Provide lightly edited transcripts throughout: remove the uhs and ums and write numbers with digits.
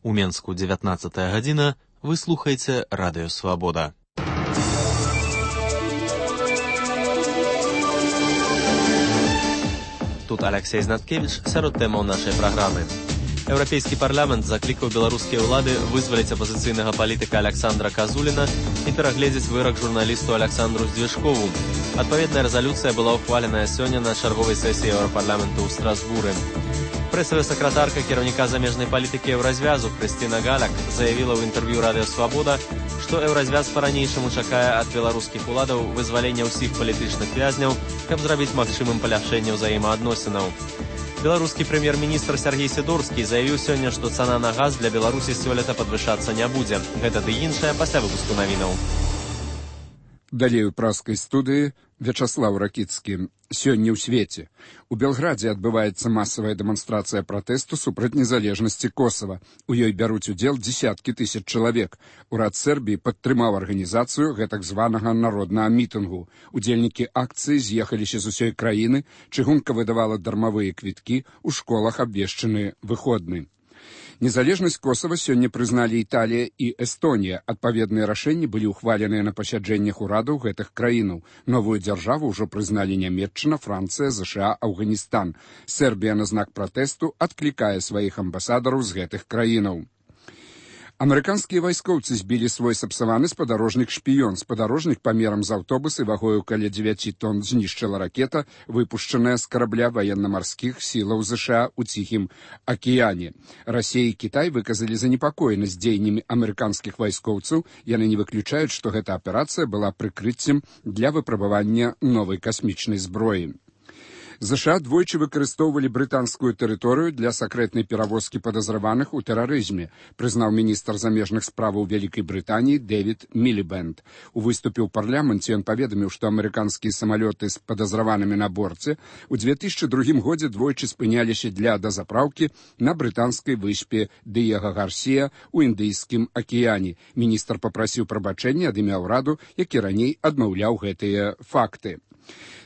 У Менску 19 гадзіна, вы слухаеце Радыё Свабода. Тут Алексей Знаткевич сярод тэмаў нашай праграмы. Еўрапейскі парламент заклікаў беларускія ўлады вызваліць апазіцыйнага палітыка Александра Казуліна і перагледзець вырак журналісту Александру Здвижкову. Адпаведная рэзалюцыя была ўхваленая сёння на чарговай сесіі Еўрапарламенту ў Страсбуры. Прэсавая сакратарка кіраўніка замежнай палітыкі Еўразвязу Хрысціна Галяк заявіла ў інтэрв'ю Радыё Свабода, што Еўразвяз па-ранейшаму чакае ад беларускіх уладаў вызвалення ўсіх палітычных вязняў, каб зрабіць магчымым паляпшэнне ўзаемаадносінаў. Беларускі прэм'ер-міністр Сергей Сідорскі заявіў сёння, што цана на газ для Беларусі сёлета падвышацца не будзе. Гэта ды іншае пасля выпуску навінаў. Далей у праскай студыі Вячаслаў Ракіцкі. Сёння ў свеце. У Белградзе адбываецца масавая дэманстрацыя пратэсту супраць незалежнасці Косава. У ёй бяруць удзел дзесяткі тысяч чалавек. Урад Сербіі падтрымаў арганізацыю гэтак званага народнага мітынгу. Удзельнікі акцыі з'ехаліся з усёй краіны, чыгунка выдавала дармавыя квіткі, у школах абвешчаны выходны. Незалежнасць Косава сёння прызналі Італія і Эстонія. Адпаведныя рашэнні былі ўхваленыя на пасяджэннях урадаў гэтых краінаў. Новую дзяржаву ўжо прызналі Нямецчына, Францыя, ЗША, Афганістан. Сербія на знак пратэсту адклікае сваіх амбасадараў з гэтых краінаў. Амерыканскія вайскоўцы збілі свой сапсаваны спадарожнік «Шпіён». Спадарожнік памерам з аўтобусы вагою каля 9 тонн знішчыла ракета, выпушчаная з карабля ваенна-марскіх сілаў ЗША ў Ціхім акіяне. Расія і Кітай выказалі занепакоенасць дзеяннямі амерыканскіх вайскоўцаў. Яны не выключаюць, што гэта аперацыя была прыкрыццем для выпрабавання новай касмічнай зброі. ЗША двойчы выкарыстоўвалі брытанскую тэрыторыю для сакрэтнай перавозкі падазраваных у тэрарызме, прызнаў міністр замежных справаў Вялікай Брытаніі Дэвід Мілібэнд. У выступе ў парламенце ён паведаміў, што амерыканскія самалёты з падазраванымі на борце ў 2002 годзе двойчы спыняліся для дазапраўкі на брытанскай выспе Дыега Гарсія ў Індыйскім акіяне. Міністр папрасіў прабачэння ад імя ўраду, які раней адмаўляў гэтыя факты.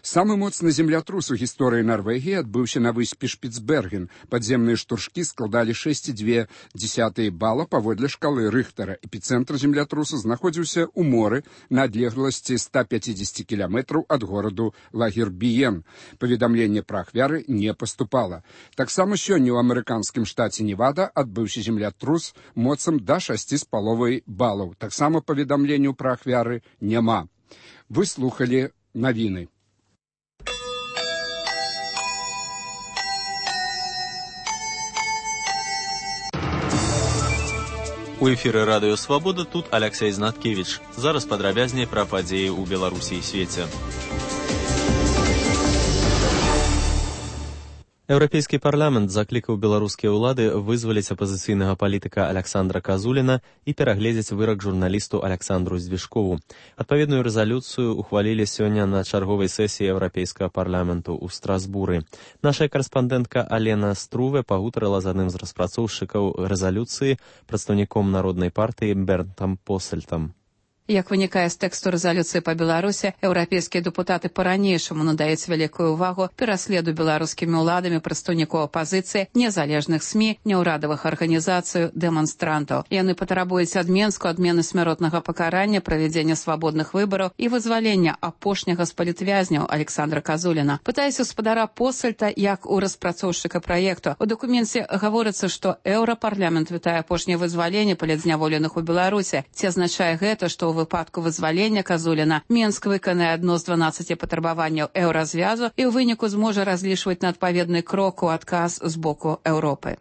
Самы моцны землятрус у гісторыі Нарвегіі адбыўся на выспе Шпіцберген. Падземныя штуршкі складалі 6,2 бала паводле шкалы Рыхтара. Эпіцэнтр землятрусу знаходзіўся ў моры на адлегласці 150 кіламетраў ад гораду Лагербіен. Паведамленне пра ахвяры не паступала. Таксама сёння ў амерыканскім штаце Невада адбыўся землятрус моцам да 6,5 балаў. Таксама паведамленняў пра ахвяры няма. Вы слухалі навіны. У эфіры Радыё Свабода тут Алексей Знаткевич. Зараз падрабязней пра падзеі ў Беларусі і свеце. Еўрапейскі парламент заклікаў беларускія ўлады вызваліць апазіцыйнага палітыка Александра Казуліна і перагледзець вырак журналісту Александру Здвижкову. Адпаведную рэзалюцыю ухвалілі сёння на чарговай сесіі Еўрапейскага парламенту ў Страсбуры. Наша карэспандэнтка Алена Струве пагутарыла з адным з распрацоўшчыкаў рэзалюцыі, прадстаўніком народнай партыі Бернтам Посельтам. Як вынікае з тэксту рэзалюцыі па Беларусі, еўрапейскія дэпутаты па-ранейшаму надаюць вялікую ўвагу пераследу беларускімі ўладамі прадстаўнікоў апазіцыі, незалежных СМІ, няўрадавых арганізацый, дэманстрантаў. Яны патрабуюць ад Менску адмены смяротнага пакарання, правядзення свабодных выбараў і вызвалення апошняга з палітвязняў Александра Казуліна. Пытаюся спадара Посельта, як у распрацоўшчыка праекту. У дакуменце гаворыцца, што Еўрапарламент вітае апошняе вызваленне палітзняволеных у Беларусі. Ці азначае гэта, што у выпадку вызвалення Казуліна Менск выканае адно з 12 патрабаванняў Еўразвязу і ў выніку зможа разлічваць на адпаведны крок у адказ з боку Еўропы.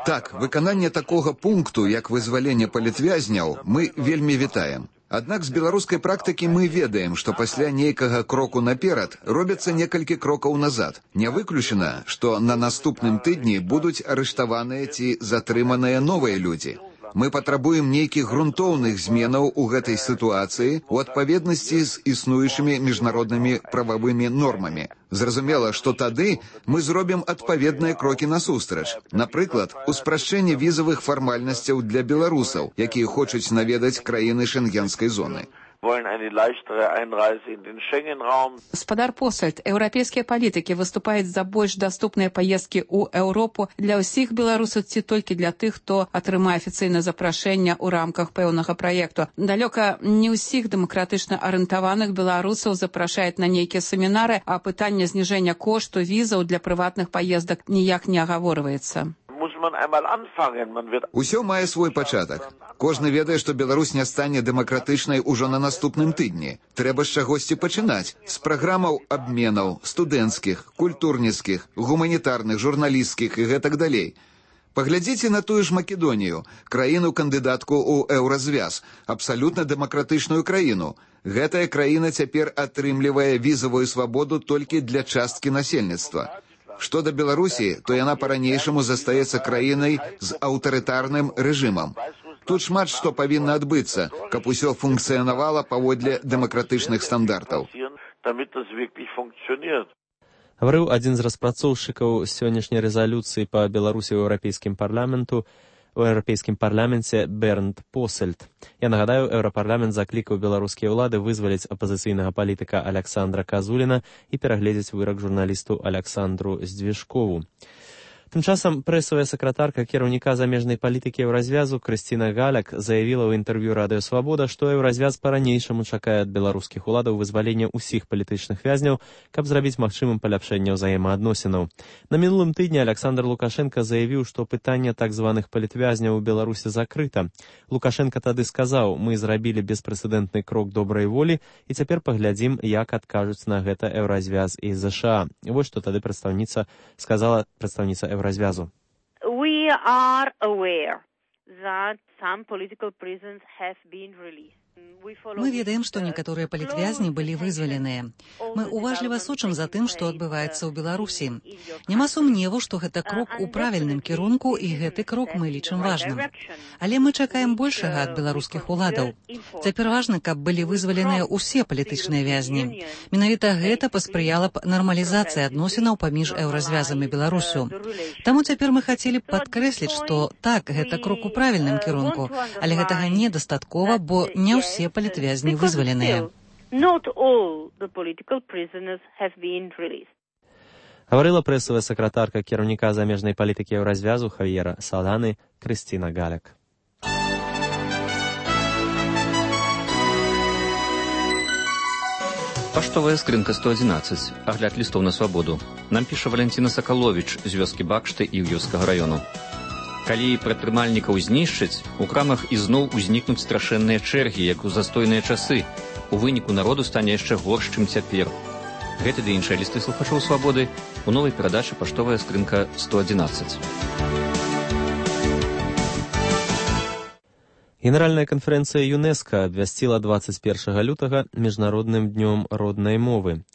Так, выкананне такога пункту, як вызваленне палітвязняў, мы вельмі вітаем. Аднак з беларускай практыкі мы ведаем, што пасля нейкага кроку наперад робяцца некалькі крокаў назад. Не выключана, што на наступным тыдні будуць арыштаваныя ці затрыманыя новыя людзі. Мы патрабуем нейкіх грунтоўных зменаў у гэтай сітуацыі ў адпаведнасці з існуючымі міжнароднымі прававымі нормамі. Зразумела, што тады мы зробім адпаведныя крокі насустрач. Напрыклад, у спрашчэнні візавых фармальнасцяў для беларусаў, якія хочуць наведаць краіны шэнгенскай зоны. Спадар Посальд, еўрапейскія палітыкі выступаюць за больш даступныя паездкі ў Еўропу для ўсіх беларусаў ці толькі для тых, хто атрымае афіцыйнае запрашэнне ў рамках пэўнага праекту. Далёка не ўсіх дэмакратычна арыентаваных беларусаў запрашаюць на нейкія семінары, а пытанне зніжэння кошту візаў для прыватных паездак ніяк не агаворваецца. Усё мае свой пачатак. Кожны ведае, што Беларусь не стане дэмакратычнай ужо на наступным тыдні. Трэба з чагосьці пачынаць. З праграмаў абменаў, студэнцкіх, культурніцкіх, гуманітарных, журналісцкіх і гэтак далей. Паглядзіце на тую ж Македонію, краіну-кандыдатку ў еўразвяз, абсалютна дэмакратычную краіну. Гэтая краіна цяпер атрымлівае візавую свабоду толькі для часткі насельніцтва. Што да Беларусі, то яна па-ранейшаму застаецца краінай з аўтарытарным рэжымам. Тут шмат што павінна адбыцца, каб усё функцыянавала паводле дэмакратычных стандартаў. Гаварыў адзін з распрацоўшчыкаў сённяшняй рэзалюцыі па Беларусі ў Еўрапейскім парламенце Бернд Посальд. Я нагадаю, Еўрапарламент заклікаў беларускія ўлады вызваліць апазіцыйнага палітыка Александра Казуліна і перагледзець вырак журналісту Александру Здвижкову. Тым часам прэсавая сакратарка кіраўніка замежнай палітыкі еўразвязу Крысціна Галяк заявіла ў інтэрв'ю Радыё Свабода, што еўразвяз па-ранейшаму чакае ад беларускіх уладаў вызвалення ўсіх палітычных вязняў, каб зрабіць магчымым паляпшэнне ўзаемаадносінаў. На мінулым тыдні Александр Лукашенка заявіў, што пытанне так званых палітвязняў у Беларусі закрыта. Лукашенка тады сказаў: «Мы зрабілі беспрэцэдэнтны крок добрай волі, і цяпер паглядзім, як адкажуць на гэта еўразвяз і ЗША». Вось што тады сказала прадстаўніца Еўразвязу. We are aware that some political prisoners have been released. Мы ведаем, што некаторыя палітвязні былі вызваленыя. Мы уважліва сочым за тым, што адбываецца ў Беларусі. Няма сумневу, што гэта крок у правільным кірунку, і гэты крок мы лічым важным. Але мы чакаем большага ад беларускіх уладаў. Цяпер важна, каб былі вызваленыя ўсе палітычныя вязні. Менавіта гэта паспрыяла б нармалізацыі адносінаў паміж еўразвязам і Беларусю. Таму цяпер мы хацелі б падкрэсліць, што так, гэта крок у правільным кірунку, але гэтага недастаткова, бо не ўсе палітвязні вызваленыя. Гаварыла прэсавая сакратарка кіраўніка замежнай палітыкі еўразвязу Хавьера Саланы Крысціна Галяк. Паштовая скрынка 111. Агляд лістоў на свабоду. Нам піша Валянціна Сакаловіч з вёскі Бакшты і Іўёўскага раёну. Калі прадпрымальнікаў знішчаць, у крамах ізноў узнікнуць страшэнныя чэргі, як у застойныя часы. У выніку народу стане яшчэ горш, чым цяпер. Гэты ды іншыя лісты слухачоў свабоды у новай перадачы «Паштовая скрынка 111». Генеральная канферэнцыя ЮНЕСКО абвясціла 21 лютага міжнародным днём роднай мовы.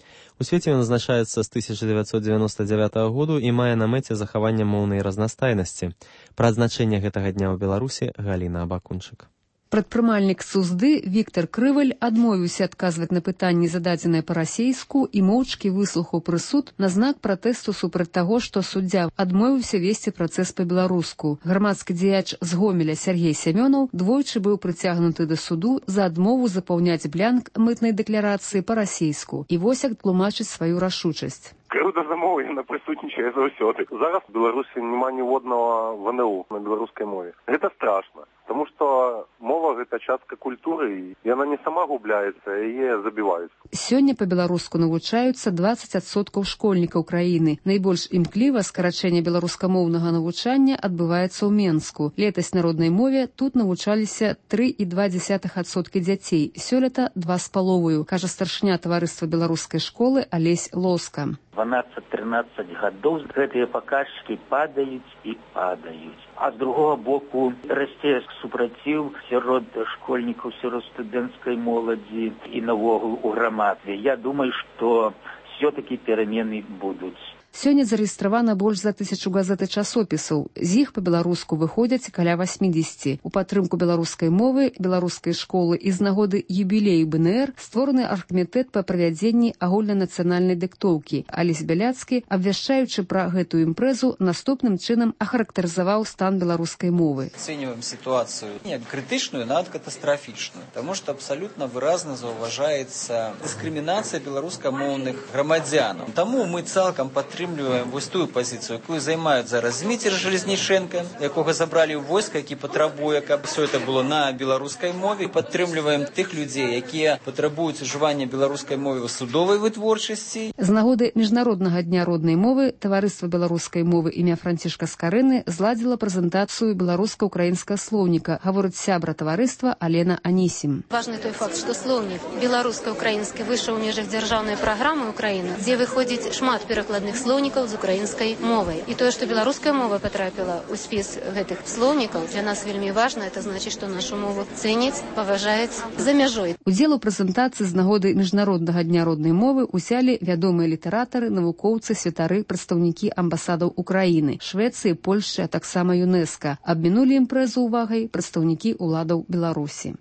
У свеце ён адзначаецца з 1999 году і мае на мэце захаванне моўнай разнастайнасці. Пра адзначэнне гэтага дня ў Беларусі Галіна Абакунчык. Прадпрымальнік Сузды Віктор Крываль адмовіўся адказваць на пытанні, зададзеныя па-расейску, і моўчкі выслухаў прысуд на знак пратэсту супраць таго, што суддзя адмовіўся весці працэс па-беларуску. Грамадскі дзеяч з Гомеля Сергей Сямёнаў двойчы быў прыцягнуты да суду за адмову запаўняць блянк мытнай дэкларацыі па-расейску. І вось як тлумачыць сваю рашучасць. Крыўда за мову, яна прысутнічае заўсёды. Зараз у Беларусі няма ніводнага ВНУ на беларускай мове. Гэта страшна, таму што мова гэта частка культуры, і яна не сама губляецца, яе забіваюць. Сёння па-беларуску навучаюцца 20% школьнікаў краіны. Найбольш імкліва скарачэнне беларускамоўнага навучання адбываецца ў Менску. Летась на роднай мове тут навучаліся 3,2% дзяцей, сёлета 2,5%, кажа старшыня таварыства беларускай школы Алесь Лоска. 12-13 гадоў гэтыя паказчыкі падаюць і падаюць. А з другога боку расце супраціў сярод школьнікаў, сярод студэнцкай моладзі і навогул у грамадстве. Я думаю, што все-таки перамены будуць. Сёння зарэгістравана больш за 1000 газет і часопісаў. З іх па-беларуску выходзяць каля 80. У падтрымку беларускай мовы, беларускай школы і з нагоды юбілею БНР створаны аргкамітэт па правядзенні агульнанацыянальнай дыктоўкі. Алесь Бяляцкі, абвяшчаючы пра гэтую імпрэзу, наступным чынам ахарактарызаваў стан беларускай мовы. Оцениваем ситуацию не критичную, а катастрофичную, потому что абсолютно выразно зауважается дискриминация белорусскомовных громадян. Тому мы цалком подтримливаем вось тую позицию, якую займают зараз Дмитрий Железниченко, якого забрали в войска, які потребує, каб все это было на белорусской мове. Подтримливаем тих людей, які потребують уживання белорусской мови в судовой вытворчасці. З нагоды Міжнароднага дня роднай мовы Таварыства беларускай мовы імя Францішка Скарыны зладзіла прэзентацыю беларуска-украінскага слоўніка, гаворыць сябра таварыства Алена Анісім. Важны той факт, што слоўнік беларуска-украінскі выйшаў у межах дзяржаўнай праграмы Украіны, дзе выходзіць шмат перакладных слоўнікаў з украінскай мовай. І тое, што беларуская мова патрапіла ў спіс гэтых слоўнікаў, для нас вельмі важна, это значыць, што нашу мову цэняць, паважаюць за мяжой. Удзел у прэзентацыі з нагоды Міжнароднага дня роднай мовы ўзялі вядомыя літаратары, навукоўцы, святары, прадстаўнікі амбасадаў Украіны, Швецыі, Польшчы, а таксама ЮНЕСКА. Абмінулі імпрэзу увагай прадстаўнікі ўладаў Беларусі.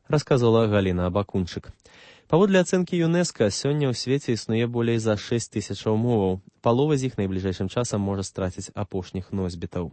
Расказвала Галіна Абакунчык. Паводле ацэнкі ЮНЕСКА, сёння ў свеце існуе болей за 6000 моваў. Палова з іх найбліжэйшым часам можа страціць апошніх носьбітаў.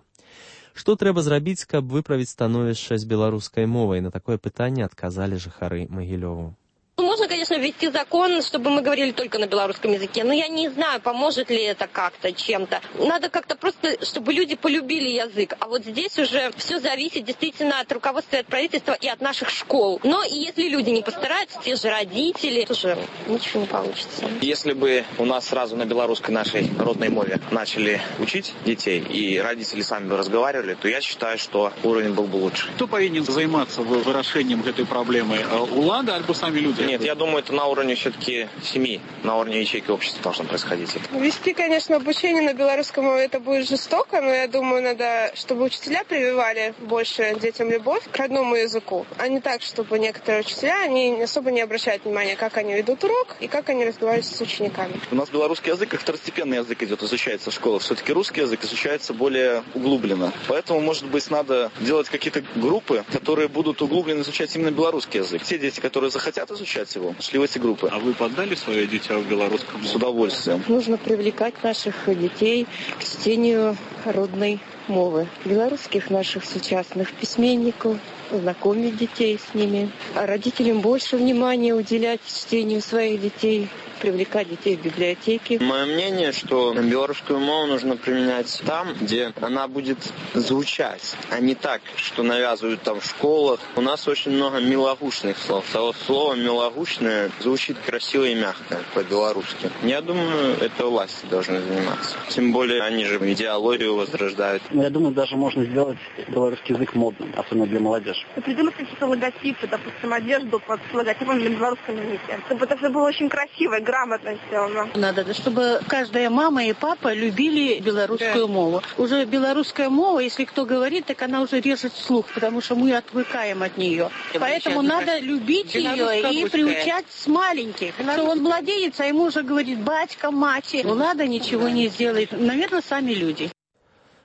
Што трэба зрабіць, каб выправіць становішча з беларускай мовай? На такое пытанне адказалі жыхары Магілёву. Можно, конечно, ввести закон, чтобы мы говорили только на белорусском языке, но я не знаю, поможет ли это как-то чем-то. Надо как-то просто, чтобы люди полюбили язык. А вот здесь уже все зависит действительно от руководства, от правительства и от наших школ. Но и если люди не постараются, те же родители, тоже ничего не получится. Если бы у нас сразу на белорусской нашей родной мове начали учить детей, и родители сами бы разговаривали, то я считаю, что уровень был бы лучше. Кто повинен заниматься вырашением этой проблемы? Улада альбо сами люди? Нет, я думаю, это на уровне все-таки семьи, на уровне ячейки общества должно происходить. Вести, конечно, обучение на белорусском это будет жестоко, но я думаю, надо, чтобы учителя прививали больше детям любовь к родному языку, а не так, чтобы некоторые учителя, они особо не обращают внимания, как они ведут урок и как они разговаривают с учениками. У нас белорусский язык как второстепенный язык идет, изучается в школах. Все-таки русский язык изучается более углубленно. Поэтому, может быть, надо делать какие-то группы, которые будут углубленно изучать именно белорусский язык. Те дети, которые захотят изучать его, шли в эти группы. А вы поддали свое дитя в белорусском? С удовольствием. Нужно привлекать наших детей к чтению родной мовы. Белорусских наших сучасных письменников, знакомить детей с ними. А родителям больше внимания уделять чтению своих детей, привлекать детей в библиотеки. Мое мнение, что белорусскую мову нужно применять там, где она будет звучать, а не так, что навязывают там в школах. У нас очень много милогучных слов. Слово «милогучное» звучит красиво и мягко по-белорусски. Я думаю, это власти должны заниматься. Тем более, они же идеологию возрождают. Я думаю, даже можно сделать белорусский язык модным, особенно для молодежи. Придумать какие-то логотипы, допустим, одежду под логотипом для белорусского языка. Чтобы это все было очень красиво и грамотно сделано. Надо, чтобы каждая мама и папа любили белорусскую мову. Уже белорусская мова, если кто говорит, так она уже режет слух, потому что мы отвыкаем от нее. Поэтому надо любить ее и приучать с маленьких. Что он младенец, а ему уже говорит батька, мать. Влада ничего не сделает. Наверное, сами люди.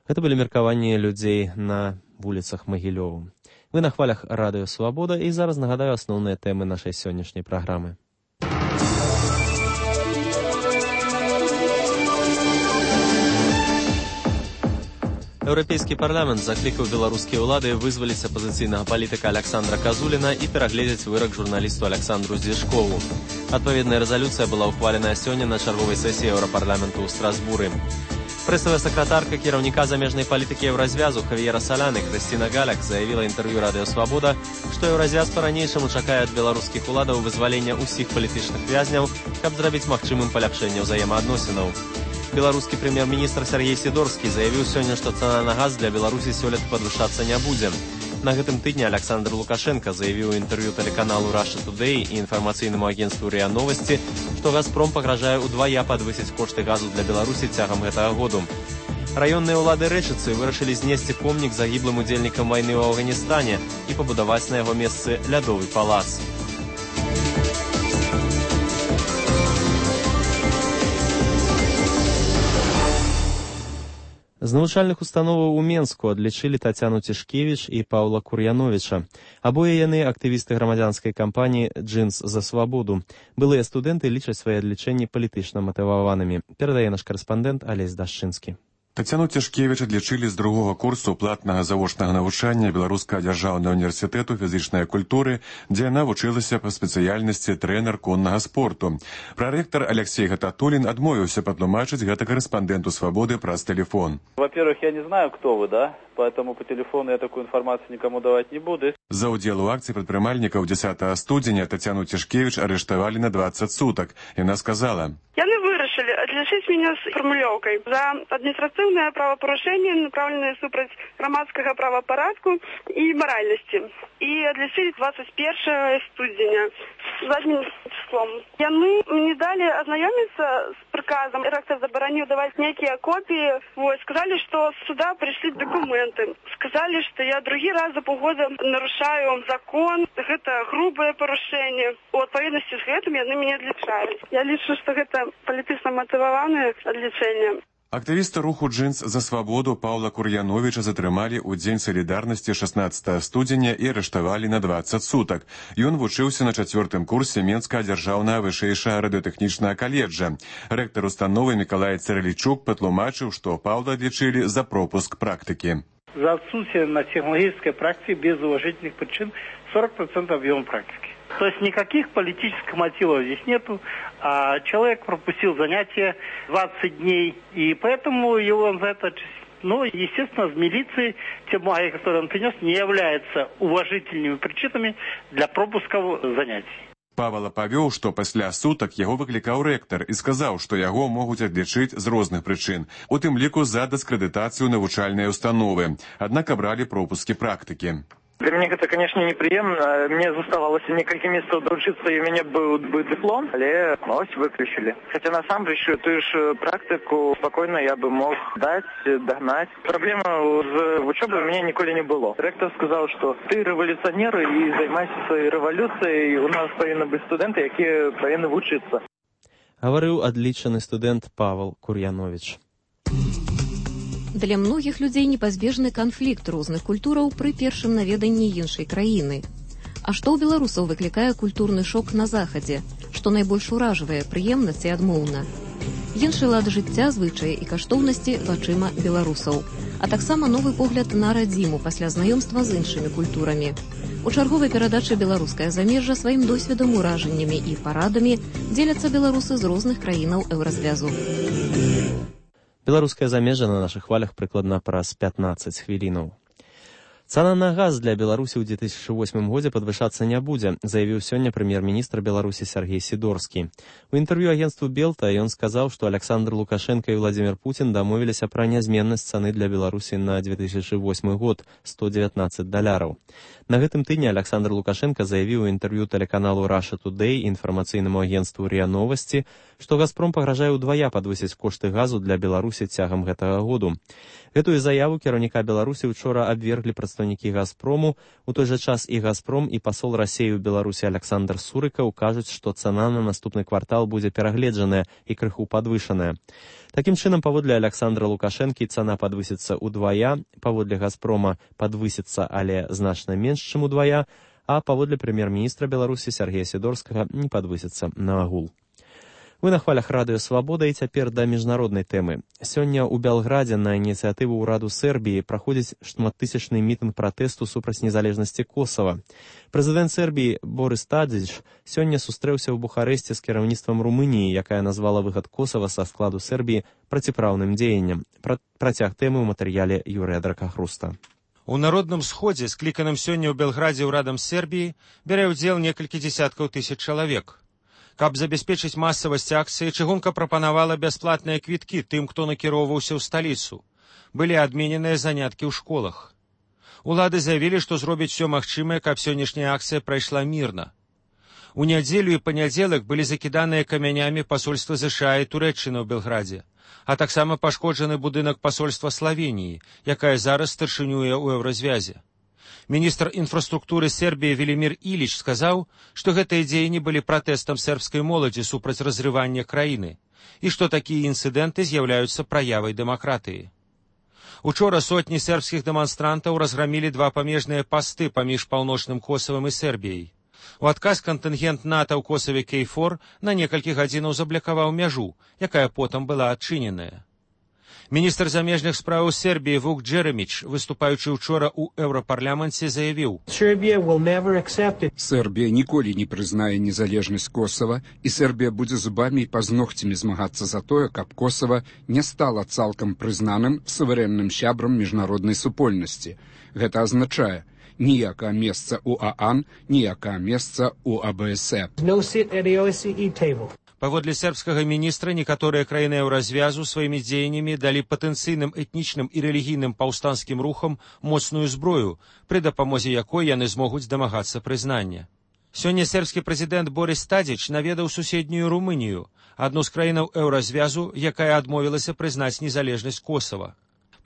Гэта былі меркаванні людзей на вуліцах Магілёву. Вы на хвалях радыё Свабода, і зараз нагадаю асноўныя тэмы нашай сённяшняй праграмы. Еўрапейскі парламент заклікаў беларускія ўлады вызваліць апазіцыйнага палітыка Александра Казуліна і перагледзець вырак журналісту Александру Зешкову. Адпаведная рэзалюцыя была ўхвалена сёння на чарговай сесіі Еўрапарламенту ў Страсбуры. Прэсавая сакратарка кіраўніка замежнай палітыкі еўразвязу Хавіера Саляны Крысціна Галяк заявіла інтэрв'ю радыё Свабода, што еўразвяз па-ранейшаму чакае ад беларускіх уладаў вызвалення ўсіх палітычных вязняў, каб зрабіць магчымым паляпшэнне ўзаемаадносінаў. Беларускі прэм'ер-міністр Сергей Сідорскі заявіў сёння, што цана на газ для Беларусі сёлета падвышацца не будзе. На гэтым тыдні Александр Лукашенко заявіў у інтэрв'ю тэлеканалу Russia Today і інфармацыйнаму агенцтву РИА Новости, што «Газпром» пагражае ўдвая падвысіць кошты газу для Беларусі цягам гэтага году. Раённыя ўлады Рэчыцы вырашылі знесці помнік загіблым удзельнікам вайны ў Афганістане і пабудаваць на яго месцы лядовы палац. З навучальных установаў у Менску адлічылі Тацяну Цішкевіч і Паўла Кур'яновіча. Абое яны актывісты грамадзянскай кампаніі «Джинс за свабоду». Былыя студэнты лічаць свае адлічэнні палітычна матываванымі. Перадае наш карэспандэнт Алесь Дашчынскі. Тацяну Цішкевіч адлічылі з другога курсу платнага завочнага навучання Беларускага дзяржаўнага універсітэту фізічнай культуры, дзе яна вучылася па спецыяльнасці трэнер коннага спорту. Прарэктар Алексей Гататулін адмовіўся патлумачыць гэта карэспандэнту «Свабоды» праз тэлефон. Во-первых, я не знаю, кто вы, да? Поэтому по телефону я такую информацию никому давать не буду. За удзел у акцыі прадпрымальнікаў 10 студзеня Тацяну Цішкевіч арыштавалі на 20 сутак. Яна сказала: «Яны вырашылі адлічыць мяне з фармулёўкай за адміністрацыйнае правапарушэнне, направленае супраць грамадскага правапарадку і маральнасці. І адлічылі 21 студзеня заднім числом. Яны мне далі азнаёміцца з прыказам. Рэктар забараніў даваць нейкія копіі. Сказалі, што з суда прыйшлі дакументы. Сказалі, што я другі раз за паўгода нарушаю закон. Гэта грубае парушэнне. У адпаведнасці з гэтым яны мяне адлічаюць. Я лічу, што гэта палітычна матываванае адлічэнне». Актывіста руху «Джинс за свабоду» Паўла Кур'яновіча затрымалі ў дзень салідарнасці 16 студзеня і арыштавалі на 20 сутак. Ён вучыўся на 4-м курсе Менскага дзяржаўнага вышэйшага радыётэхнічнага каледжа. Рэктар установы Мікалай Царалічук патлумачыў, што Паўла адлічылі за пропуск практыкі. За отсутствие на технологической практике без уважительных причин 40% объема практики. То есть никаких политических мотивов здесь нету. А человек пропустил занятия 20 дней, и поэтому его за это... Ну, естественно, в милиции те бумаги, которые он принес, не являются уважительными причинами для пропуска занятий. Павел павёў, што пасля сутак яго выклікаў рэктар і сказаў, што яго могуць адлічыць з розных прычын, у тым ліку за дыскрэдытацыю навучальнай установы. Аднак абралі пропускі практыкі. Для меня это, конечно, неприемно. Мне заставалось несколько месяцев доучиться, и у меня был бы диплом, але ось выключили. Хотя на самом деле, ту же практику спокойно я бы мог дать, догнать. Проблема с учебой у меня никогда не было. Ректор сказал, что ты революционер и займайся своей революцией. У нас повинны быть студенты, которые повинны учиться. Говорил отличный студент Павел Кур'янович. Для многіх людзей непазбежны канфлікт розных культураў пры першым наведанні іншай краіны. А што ў беларусаў выклікае культурны шок на захадзе, што найбольш уражвае прыемна ці адмоўна? Іншы лад жыцця, звычаі і каштоўнасці вачыма беларусаў, а таксама новы погляд на радзіму пасля знаёмства з іншымі культурамі. У чарговай перадачы «Беларускае замежжа» сваім досведам, уражаннямі і парадамі дзеляцца беларусы з розных краінаў еўразвязу. Беларускае замежжа на нашых хвалях прыкладна праз 15 хвілінаў. Цана на газ для Беларусі ў 2008 годзе падвышацца не будзе, заявіў сёння прэм'ер-міністр Беларусі Сергей Сідорскі. У інтэрв'ю агенству Белта ён сказаў, што Александр Лукашенко і Владимир Путин дамовіліся пра нязменнасць цаны для Беларусі на 2008 год $119. На гэтым тыдні Александр Лукашенко заявіў у інтэрв'ю тэлеканалу Russia Today і інфармацыйнаму агенству РИА Новости, што «Газпром» пагражае ўдвая падвысіць кошты газу для Беларусі цягам гэтага году. Гэтую заяву кіраўніка Беларусі учора абверглі прадстаўнікі «Газпрому». У той жа час і «Газпром», і пасол Расіі ў Беларусі Александр Сурыкаў кажуць, што цана на наступны квартал будзе перагледжаная і крыху падвышаная. Такім чынам, паводле Александра Лукашэнкі, цана падвысіцца ўдвая, паводле «Газпрома» падвысіцца, але значна менш, чым удвая, а паводле прэм'ер-міністра Беларусі Сергея Сідорскага не падвысіцца наагул. Вы на хвалях радыё «Свабода» і цяпер да міжнароднай тэмы. Сёння ў Белградзе на ініцыятыву ўраду Сербіі праходзіць шматтысячны мітынг пратэсту супраць незалежнасці Косава. Прэзідэнт Сербіі Борис Тадзіч сёння сустрэўся ў Бухарэсце з кіраўніцтвам Румыніі, якая назвала выхад Косава са складу Сербіі проціпраўным дзеяннем. Працяг тэмы ў матэрыяле Юрыя Дракахруста. У народным сходзе, скліканым сёння ў Белградзе ўрадам Сербіі, бярэ ўдзел некалькі дзесяткаў тысяч чалавек. Каб забяспечыць масавасць акцыі, чыгунка прапанавала бясплатныя квіткі тым, хто накіроўваўся ў сталіцу. Былі адмененыя заняткі ў школах. Улады заявілі, што зробяць усё магчымае, каб сённяшняя акцыя прайшла мірна. У нядзелю і панядзелак былі закіданыя камянямі пасольства ЗША і Турэччыны ў Белградзе, а таксама пашкоджаны будынак пасольства Славеніі, якая зараз старшынюе ў еўразвязе. Міністр інфраструктуры Сербіі Велімір Іліч сказаў, што гэтыя дзеянні былі пратэстам сербскай моладзі супраць разрывання краіны і што такія інцыдэнты з'яўляюцца праявай дэмакратыі. Учора сотні сербскіх дэманстрантаў разграмілі два памежныя пасты паміж паўночным Косавам і Сербіяй. У адказ кантынгент НАТО ў Косаве Кейфор на некалькі гадзінаў заблакаваў мяжу, якая потым была адчыненая. Міністр замежных спраў Сербіі Вук Джереміч, выступаючы учора ў Еўрапарламенце, заявіў: Сербія ніколі не прызнае незалежнасць Косава, і Сербія будзе зубамі і пазногцямі змагацца за тое, каб Косава не стала цалкам прызнаным суверэнным сябрам міжнароднай супольнасці. Гэта азначае ніякае месца ў ААН, ніякае месца ў АБСЕ. Паводле сербскага міністра, некаторыя краіны еўразвязу сваімі дзеяннямі далі патэнцыйным этнічным і рэлігійным паўстанцкім рухам моцную зброю, пры дапамозе якой яны змогуць дамагацца прызнання. Сёння сербскі прэзідэнт Борис Тадзіч наведаў суседнюю Румынію, адну з краінаў еўразвязу, якая адмовілася прызнаць незалежнасць Косава.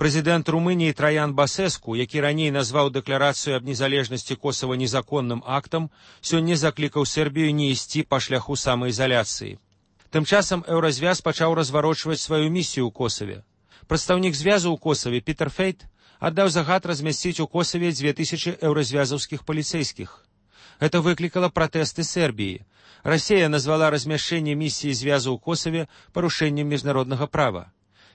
Прэзідэнт Румыніі Траян Басеску, які раней назваў дэкларацыю аб незалежнасці Косава незаконным актам, сёння заклікаў Сербію не ісці па шляху самаізаляцыі. Тым часам еўразвяз пачаў разварочваць сваю місію ў Косаве. Прадстаўнік звязу ў Косаве Пітер Фейт аддаў загад размясціць у Косаве 2000 еўразвязаўскіх паліцэйскіх. Гэта выклікала пратэсты Сербіі. Расія назвала размяшчэнне місіі звязу ў Косаве парушэннем міжнароднага права.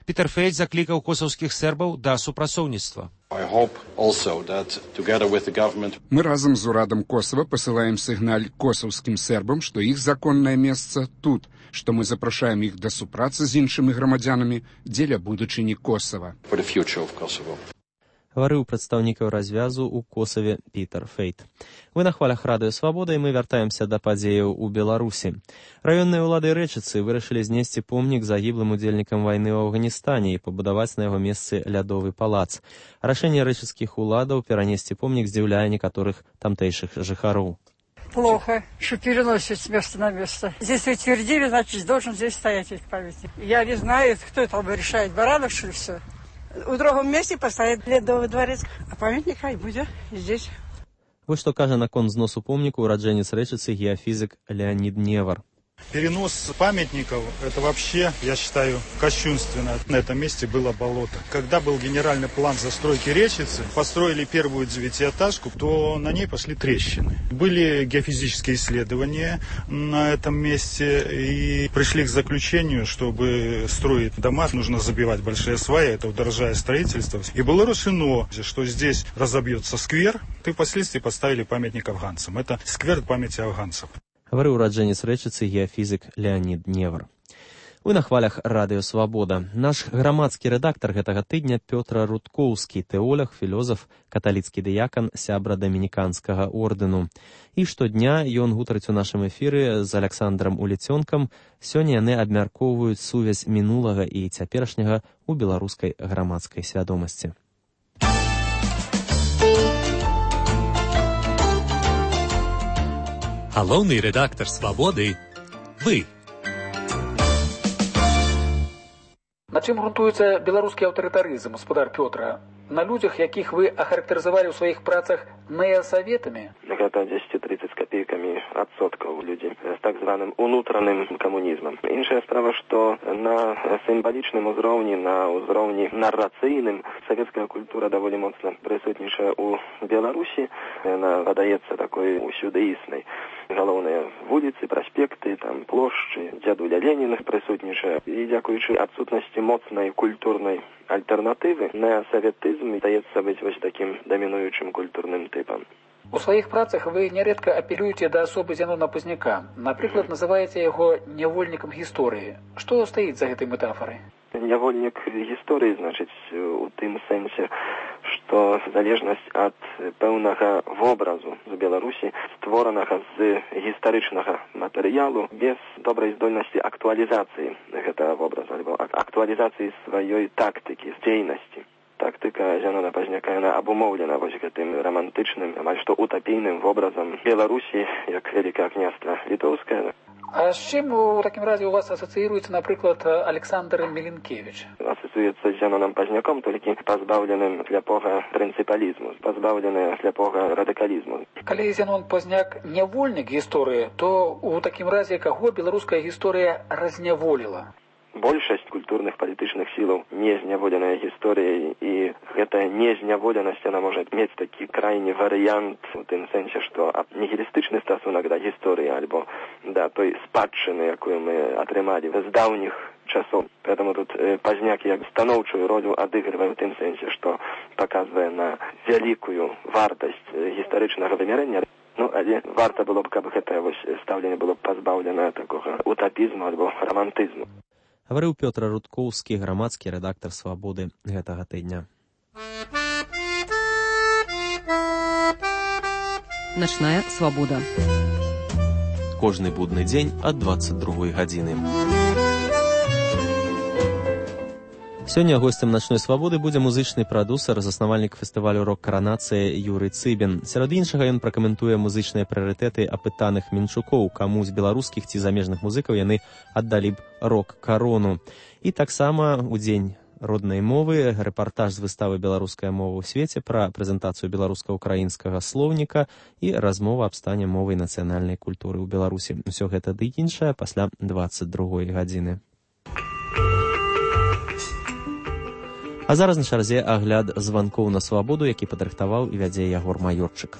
Пітер Фейт заклікаў косаўскіх сербаў да супрацоўніцтва. Мы разам з урадам Косава пасылаем сігналь косаўскім сербам, што іх законнае месца тут, што мы запрашаем іх да супрацы з іншымі грамадзянамі дзеля будучыні Косава. Гаварыў прадстаўнік развязу ў Косаве Пітер Фейт. Вы на хвалях Радыё Свабода, і мы вяртаемся да падзеяў у Беларусі. Раённыя ўлады Рэчыцы вырашылі знесці помнік загіблым удзельнікам вайны ў Афганістане і пабудаваць на яго месцы лядовы палац. Рашэнне рэчыцкіх уладаў перанесці помнік здзіўляе некаторых тамтэйшых жыхароў. Плохо, что переносят с места на место. Здесь утвердили, значит, должен здесь стоять этот памятник. Я не знаю, кто там решает, Баранов, что ли, все. У другом месте поставить ледовый дворец, а памятник хай будет здесь. Вось што кажа наконт зносу помніку ураджэнец Рэчыцы геофизик Леонид Невар. Перенос памятников, это вообще, я считаю, кощунственно. На этом месте было болото. Когда был генеральный план застройки Речицы, построили первую 9-этажку, то на ней пошли трещины. Были геофизические исследования на этом месте и пришли к заключению, чтобы строить дома, нужно забивать большие сваи, это удорожает строительство. И было решено, что здесь разобьется сквер, и впоследствии поставили памятник афганцам. Это сквер памяти афганцев. Гаварыў ураджэнец Рэчыцы геофізік Леонід Невар. Вы на хвалях Радыё Свабода. Наш грамадскі рэдактар гэтага тыдня Пётр Рудкоўскі, тэолог, філозаф, каталіцкі дыякан, сябра дамініканскага ордэну. І штодня ён гутарыць у нашым эфіры з Аляксандрам Улецёнкам. Сёння яны абмяркоўваюць сувязь мінулага і цяперашняга ў беларускай грамадскай свядомасці. Галоўны рэдактар «Свабоды» – вы. На чым грунтуецца беларускі аўтарытарызм, гаспадар Пётра? На людзях, якіх вы ахарактарызавалі ў сваіх працах неасаветамі? Гэта 10-30 з копейкамі адсоткаў людзей з так званым унутраным камунізмам. Іншая справа, што на сімвалічным узроўні, на ўзроўні нарацыйным савецкая культура даволі моцна прысутнічае ў Беларусі. Яна выдаецца такой усюдыіснай. Галоўныя вуліцы, праспекты, там плошчы, дзядуля Леніна прысутнічае. І дзякуючы адсутнасці моцнай культурнай альтэрнатывы, неасаветызм здаецца быць вось такім дамінуючым культурным тыпам. У сваіх працах вы нярэдка апелюеце да асобы Зянона Пазняка. Напрыклад, называеце яго нявольнікам гісторыі. Што стаіць за гэтай метафорай? Нявольнік гісторыі, значыць, у тым сэнсе, што залежнасць ад пэўнага вобразу з Беларусі, створанага з гістарычнага матэрыялу, без добрай здольнасці актуалізацыі гэтага вобразу, альбо актуалізацыі сваёй тактыкі, дзейнасці. Тактыка Зянона Пазняка, яна абумоўлена вось гэтым рамантычным, амаль што утапійным вобразам Беларусі, як вялікае княства літоўскае. А з чым у такім разе у вас асацыіруецца, напрыклад, Александр Міленкевіч? Асацыюецца з Зяноном Пазняком, толькі пазбаўленым сляпога прынцыпалізму, пазбаўленым сляпога радыкалізму. Калі Зянон Пазняк нявольнік гісторыі, то у такім разе каго беларуская гісторыя разняволіла? большасць культурных палітычных сілаў не зняволеная гісторыяй, і гэтая незняволенасць, яна можа мець такі крайні варыянт у тым сэнсе, што нігілістычны стасунак да гісторыі альбо да той спадчыны, якую мы атрымалі з даўніх часоў. Поэтому тут Пазняк як станоўчую ролю адыгрывае ў тым сэнсе, што паказвае на вялікую вартасць гістарычнага вымярэння. Ну, але варта было б, каб гэтае стаўленне было пазбаўлена такога утапізму альбо романтызму. Гаварыў Пётр Рудкоўскі, грамадскі рэдактар «Свабоды» гэтага тыдня. Начная свабода. Кожны будны дзень ад 22 гадзіны. Сёння госцем начной свабоды будзе музычны прадусер, заснавальнік фестывалю рок-каранацыя Юрый Цыбін. Сярод іншага ён пракаментуе музычныя прыярытэты апытаных мінчукоў, каму з беларускіх ці замежных музыкаў яны аддалі б рок-карону. І таксама у дзень роднай мовы рэпартаж з выставы «Беларуская мова ў свеце» пра прэзентацыю беларуска-украінскага слоўніка і размова аб стане мовы і нацыянальнай культуры ў Беларусі. Усё гэта ды іншае пасля 22 гадзіны. А зараз на чарзе агляд званкоў на свабоду, які падрыхтаваў і вядзе Ягор Маёрчык.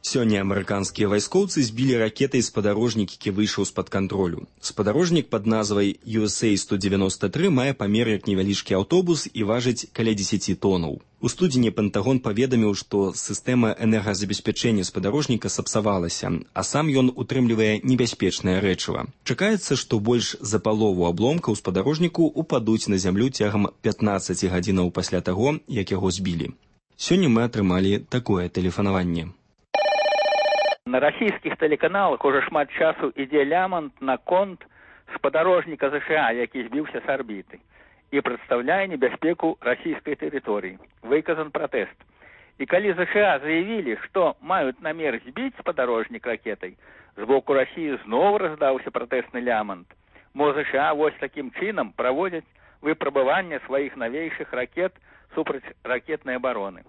Сёння амерыканскія вайскоўцы збілі ракетай спадарожнік, які выйшаў з-пад кантролю. Спадарожнік пад назвай USA-193 мае памер як невялічкі аўтобус і важыць каля 10 тонаў. У студзені Пентагон паведаміў, што сістэма энергазабеспячэння спадарожніка сапсавалася, а сам ён утрымлівае небяспечнае рэчыва. Чакаецца, што больш за палову абломкаў спадарожніку упадуць на зямлю цягам 15 гадзінаў пасля таго, як яго збілі. Сёння мы атрымалі такое тэлефанаванне. На расійскіх тэлеканалах уже шмат часу ідзе лямант на конт спадарожніка ЗША, які збіўся з арбіты і прадстаўляе небяспеку расійскай тэрыторыі. Выказан пратэст. І калі ЗША заявілі, што маюць намер збіць спадарожнік ракетай, з боку Расіі зноў раздаўся пратэсны лямант. Мо ЗША вось такім чынам праводзяць выпрабаванне сваіх навейшых ракет супраць ракетнай абароны.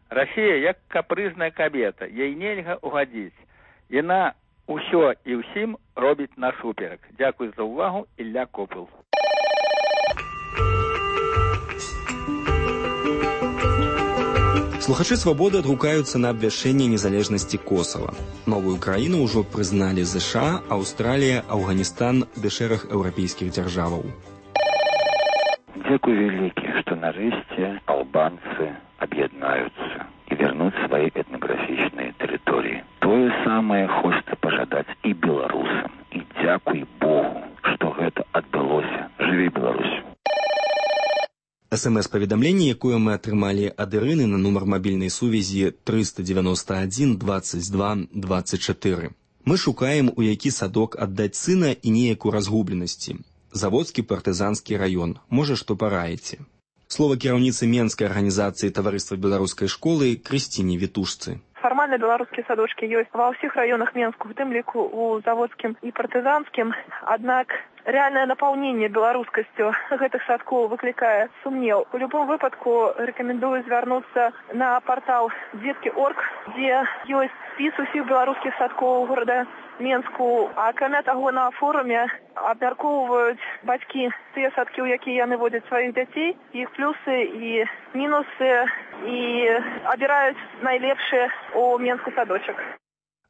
Расія як капрызная кабета, ей нельга угадзіць. Яна ўсё і ўсім робіць насуперак. Дзякуй за ўвагу, Ілля Копыл. Слухачы «Свабоды» адгукаюцца на абвяшчэнне незалежнасці Косава. Новую краіну ўжо прызналі ЗША, Аўстралія, Афганістан ды шэраг еўрапейскіх дзяржаваў. Дзякуй вялікі, што нарэшце албанцы аб'яднаюцца і вернуць свае этнаграфічныя тэрыторыі. Тое самае хочацца пажадаць і беларусам. І дзякуй Богу, што гэта адбылося. Жыві Беларусь! СМС-паведамленне, якое мы атрымалі ад Ірыны на нумар мабільнай сувязі 391 22 24. Мы шукаем, у які садок аддаць сына і неяк у разгубленасці. Заводскі партызанскі раён. Можа, што параеце. Слова кіраўніцы Менскай арганізацыі таварыства беларускай школы Крысціне Вітушцы. Фармальна беларускія садочкі ёсць ва ўсіх раёнах Менску, у тым ліку у заводскім і партызанскім. Аднак рэальнае напаўненне беларускасцю гэтых садкоў выклікае сумнеў. У любом выпадку рэкамендую звярнуцца на партал Дзеткі.орг, дзе ёсць спіс усіх беларускіх садкоў горада Менску. А акрамя таго, на форуме абмяркоўваюць бацькі тыя садкі, у якія яны водзяць сваіх дзяцей, іх плюсы і мінусы, і абіраюць найлепшыя у Менску садочак.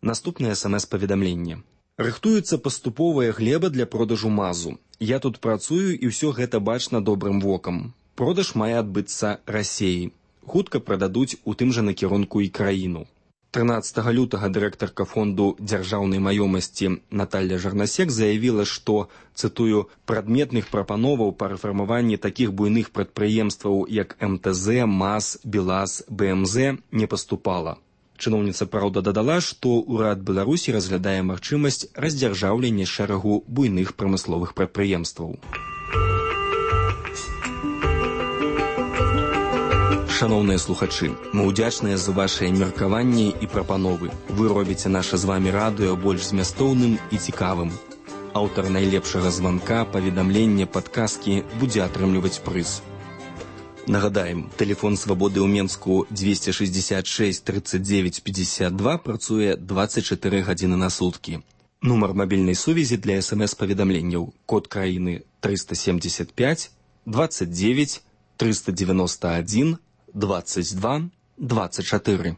Наступнае СМС-паведамленне. Рыхтуецца паступовая глеба для продажу мазу. Я тут працую, і ўсё гэта бачна добрым вокам. Продаж мае адбыцца Расеі. Хутка прададуць у тым жа накірунку і краіну. 13 лютага дырэктарка фонду дзяржаўнай маёмасці Наталья Жарнасек заявіла, што, цытую, «прадметных прапановаў па рэфармаванні такіх буйных прадпрыемстваў, як МТЗ, МАЗ, БелАЗ, БМЗ, не паступала». Чыноўніца, праўда, дадала, што ўрад Беларусі разглядае магчымасць раздзяржаўлення шэрагу буйных прамысловых прадпрыемстваў. Шаноўныя слухачы, мы ўдзячныя за вашыя меркаванні і прапановы. Вы робіце наша з вамі радыё больш змястоўным і цікавым. Аўтар найлепшага званка, паведамлення, падказкі будзе атрымліваць прыз. Нагадаем, тэлефон «Свабоды» ў Менску 266 39 52 працуе 24 гадзіны на суткі. Нумар мабільнай сувязі для СМС-паведамленняў. Код краіны 375 29 391 22 24.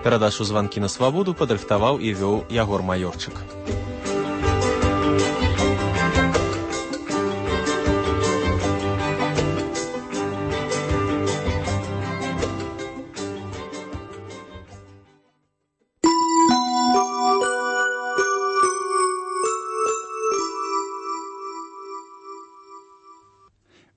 Перадачу «Званкі на свабоду» падрыхтаваў і вёў Ягор Маёрчык.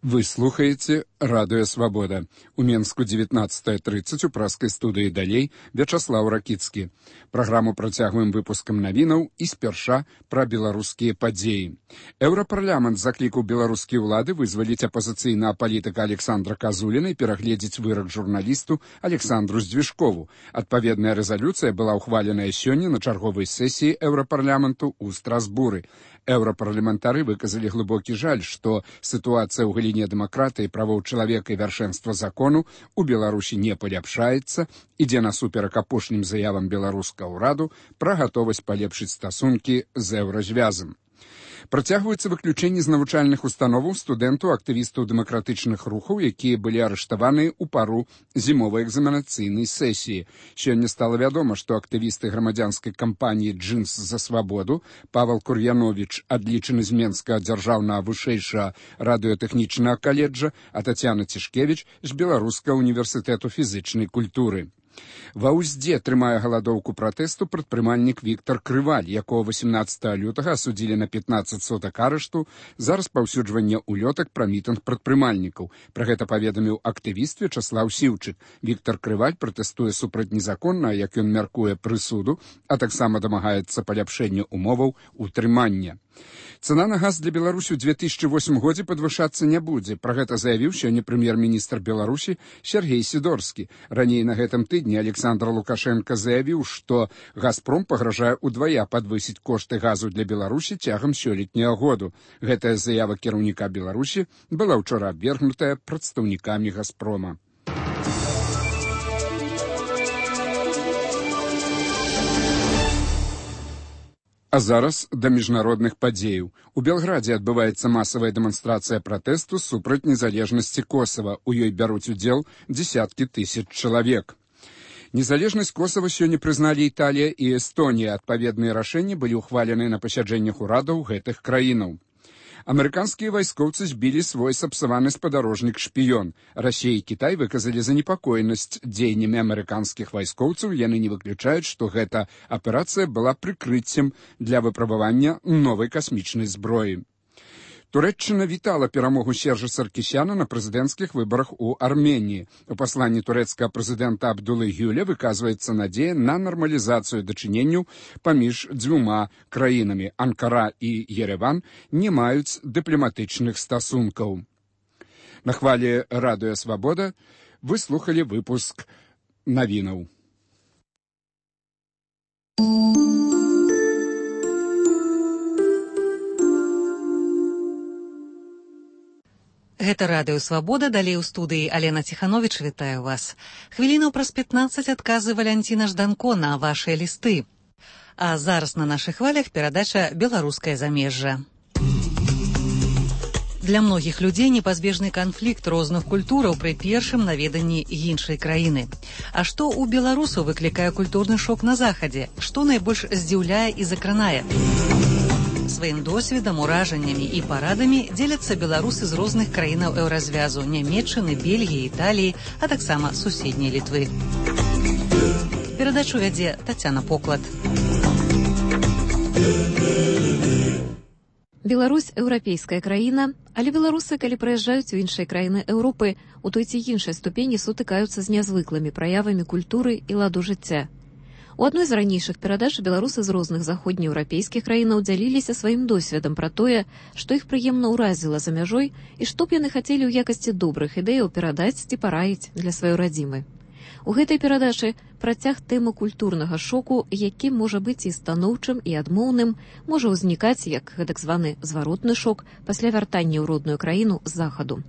Вы слухаеце радыё «Свабода». У Менску 19:30 у праскай студыі далей Вячаслаў Ракіцкі. Праграму працягваем выпускам навінаў і спярша пра беларускія падзеі. Еўрапарламент заклікаў беларускія ўлады вызваліць апазіцыйнага палітыка Александра Казуліна і перагледзець вырак журналісту Александру Здвижкову. Адпаведная рэзалюцыя была ўхваленая сёння на чарговай сесіі Еўрапарламенту ў Страсбуры. Еўрапарламентары выказалі глыбокі жаль, што сітуацыя ў галіне дэмакратыі, правоў чалавека і вяршэнства закону у Беларусі не паляпшаецца, ідзе насуперак апошнім заявам беларускага ўраду пра гатовасць палепшыць стасункі з еўразвязам. Працягваюцца выключэнні з навучальных установаў студэнтаў, актывістаў дэмакратычных рухаў, якія былі арыштаваны ў пару зімовай экзаменацыйнай сесіі. Сёння стала вядома, што актывісты грамадзянскай кампаніі «Джинс за свабоду» Павел Кур'яновіч, адлічаны з Менскага дзяржаўнага вышэйшага радыётэхнічнага каледжа, а Тацяна Цішкевіч з Беларускага універсітэту фізычнай культуры. Ва Ўздзе трымае галадоўку пратэсту прадпрымальнік Віктор Крываль, якого 18 лютага асудзілі на 15 сутак арышту за распаўсюджванне улётак пра мітынг прадпрымальнікаў. Пра гэта паведаміў актывіст Вячаслаў Сіўчык. Віктор Крываль пратэстуе супраць незаконна, як ён мяркуе, прысуду, а таксама дамагаецца паляпшэння умоваў утрымання. Цана на газ для Беларусі ў 2008 годзе падвышацца не будзе. Пра гэта заявіў сёння прэм'ер-міністр Беларусі Сергей Сідорскі. Раней на гэтым тыдні Александр Лукашенко заявіў, што «Газпром» пагражае ўдвая падвысіць кошты газу для Беларусі цягам сёлетняга году. Гэтая заява кіраўніка Беларусі была ўчора абвергнутая прадстаўнікамі «Газпрома». А зараз да міжнародных падзеяў. У Белградзе адбываецца масавая дэманстрацыя пратэсту супраць незалежнасці Косава. У ёй бяруць удзел дзесяткі тысяч чалавек. Незалежнасць Косава сёння прызналі Італія і Эстонія. Адпаведныя рашэнні былі ўхвалены на пасяджэннях урадаў гэтых краінаў. Амерыканскія вайскоўцы збілі свой сапсаваны спадарожнік-шпіён. Расія і Кітай выказалі занепакоенасць дзеяннямі амерыканскіх вайскоўцаў. Яны не выключаюць, што гэта аперацыя была прыкрыццем для выпрабавання новай касмічнай зброі. Турэччына вітала перамогу Сержа Саркісяна на прэзідэнцкіх выбарах у Арменіі. У пасланні турэцкага прэзідэнта Абдулы Гюля выказваецца надзея на нармалізацыю дачыненняў паміж дзвюма краінамі. Анкара і Ереван не маюць дыпламатычных стасункаў. На хвалі радыё «Свабода» вы слухалі выпуск навінаў. Гэта радыё «Свабода», далей у студыі Алена Ціхановіч, вітаю вас. Хвілінаў праз 15 адказы Валянціна Жданко на вашыя лісты. А зараз на нашых хвалях перадача «Беларускае замежжа». Для многіх людзей непазбежны канфлікт розных культураў пры першым наведанні іншай краіны. А што ў беларусаў выклікае культурны шок на захадзе? Што найбольш здзіўляе і закранае? Сваім досведам, уражаннямі і парадамі дзеляцца беларусы з розных краінаў еўразвязу, Нямецчыны, Бельгіі, Італіі, а таксама суседняй Літвы. Перадачу вядзе Тацяна Поклад. Беларусь – еўрапейская краіна, але беларусы, калі прыязджаюць у іншыя краіны Еўропы, у той ці іншай ступені сутыкаюцца з нязвыклымі праявамі культуры і ладу жыцця. У адной з ранейшых перадач беларусы з розных заходнееўрапейскіх краінаў дзяліліся сваім досведам пра тое, што іх прыемна ўразіла за мяжой і што б яны хацелі ў якасці добрых ідэяў перадаць ці параіць для сваёй радзімы. У гэтай перадачы працяг тэмы культурнага шоку, які можа быць і станоўчым, і адмоўным, можа ўзнікаць як гэтак званы зваротны шок пасля вяртання ў родную краіну з захаду.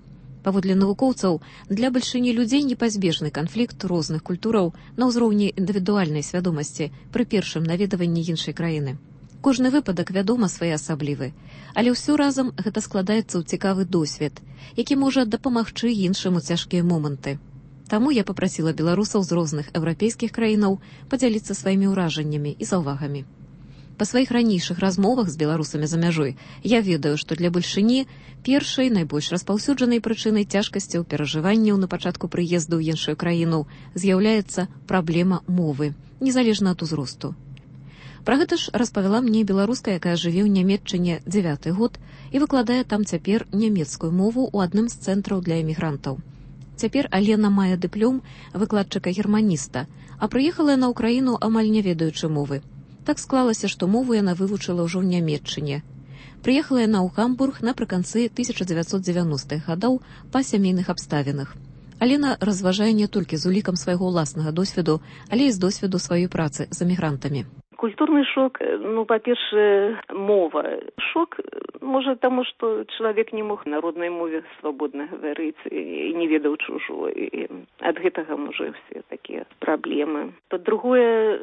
Паводле навукоўцаў, для бальшыні людзей непазбежны канфлікт розных культураў на ўзроўні індывідуальнай свядомасці пры першым наведванні іншай краіны. Кожны выпадак, вядома, своеасаблівы, але ўсё разам гэта складаецца ў цікавы досвед, які можа дапамагчы іншым у цяжкія моманты. Таму я папрасіла беларусаў з розных еўрапейскіх краінаў падзяліцца сваімі ўражаннямі і заўвагамі. Па сваіх ранейшых размовах з беларусамі за мяжой я ведаю, што для бальшыні першай найбольш распаўсюджанай прычынай цяжкасцяў перажыванняў на пачатку прыезду ў іншую краіну з'яўляецца праблема мовы, незалежна ад узросту. Пра гэта ж распавяла мне беларуска, якая жыве ў Нямецчыне 9-й год і выкладае там цяпер нямецкую мову ў адным з цэнтраў для эмігрантаў. Цяпер Алена мае дыплом выкладчыка-германіста, а прыехала яна ў краіну амаль не ведаючы мовы. Так склалася, што мову яна вывучыла ўжо ў Нямецчыне. Прыехала яна ў Гамбург напрыканцы 1990-х гадоў па сямейных абставінах. Алена разважае не толькі з улікам свайго ўласнага досведу, але і з досведу сваёй працы з эмігрантамі. Культурный шок, по-перше, мова. Шок, може, тому, что человек не мог на родной мове свободно говорить и не ведал чужого. И от этого, може, все такие проблемы. По-другое,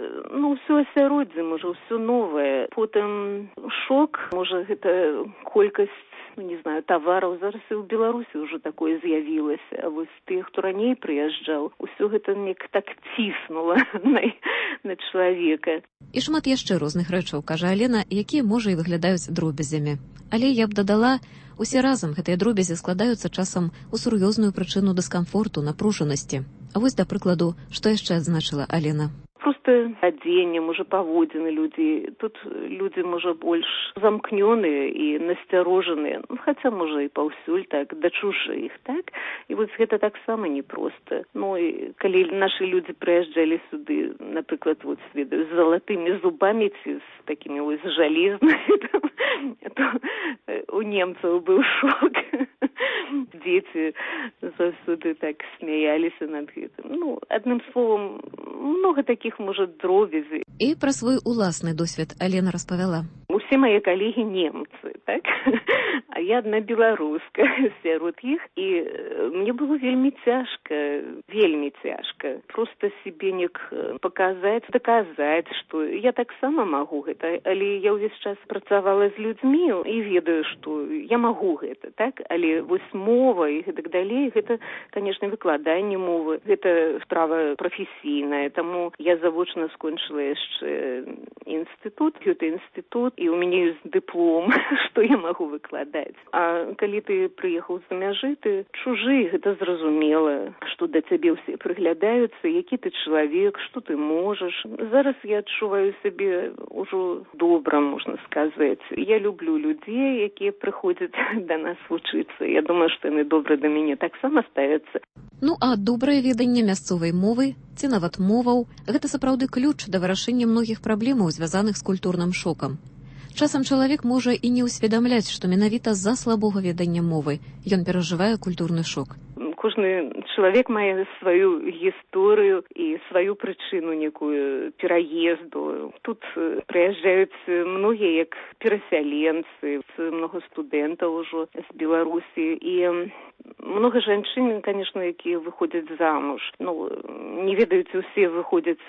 все осяроддзе, може, все новое. Потом шок, може, это колькость, тавараў. Зараз і ў Беларусі ўжо такое з'явілася. А вось тых, хто раней прыязджаў, усё гэта неяк так ціснула на чалавека. І шмат яшчэ розных рэчаў, кажа Алена, якія, можа, і выглядаюць дробязямі. Але я б дадала, усе разам гэтыя дробязі складаюцца часам у сур'ёзную прычыну дыскамфорту, напружанасці. А вось, да прыкладу, што яшчэ адзначыла Алена. Просто адзенне, можа, паводзіны людзей. Тут людзі, можа, больш замкнёныя і насцярожаныя. Хаця, можа, і паўсюль так, да чужых, так? І вось гэта таксама непроста. І калі нашы людзі прыязджалі сюды, напрыклад, з залатымі зубамі ці з такімі жалезнымі, то у немцаў быў шок. Дзеці заўсёды так смяяліся над гэтым. Адным словам, много таких, можа, дробязей. І пра свой уласны досвед Алена распавяла. Усе мае калегі немцы, так? А я адна беларуска сярод іх, і мне было вельмі цяжка. Просто себе неяк паказаць, даказаць, што я таксама магу гэта, але я ўвесь час працавала з людзьмі і ведаю, што я магу гэта, так? Але вось мова і гэтак далей, гэта, канешне, выкладанне мовы, гэта справа прафесійная, таму я завочна скончыла яшчэ інстытут, і у мяне ёсць дыплом, што я магу выкладаць. А калі ты прыехаў з-за мяжы, ты чужы, гэта зразумела, што да цябе ўсе прыглядаюцца, які ты чалавек, што ты можаш. Зараз я адчуваю сябе ўжо добра, можна сказаць. Я люблю людзей, якія прыходзяць да нас вучыцца. Я думаю, што яны добра да мяне таксама ставяцца. А добрае веданне мясцовай мовы ці нават моваў – гэта сапраўды ключ да вырашэння многіх праблемаў, звязаных з культурным шокам. Часам чалавек можа і не ўсведамляць, што менавіта з-за слабога ведання мовы ён перажывае культурны шок. Кожны чалавек мае сваю гісторыю і сваю прычыну некую пераезду. Тут прыязджаюць многія як перасяленцы, многа студэнтаў ужо з Беларусі і много жанчын, конечно, якія выходзяць замуж. Не ведаюць, усе выходзяць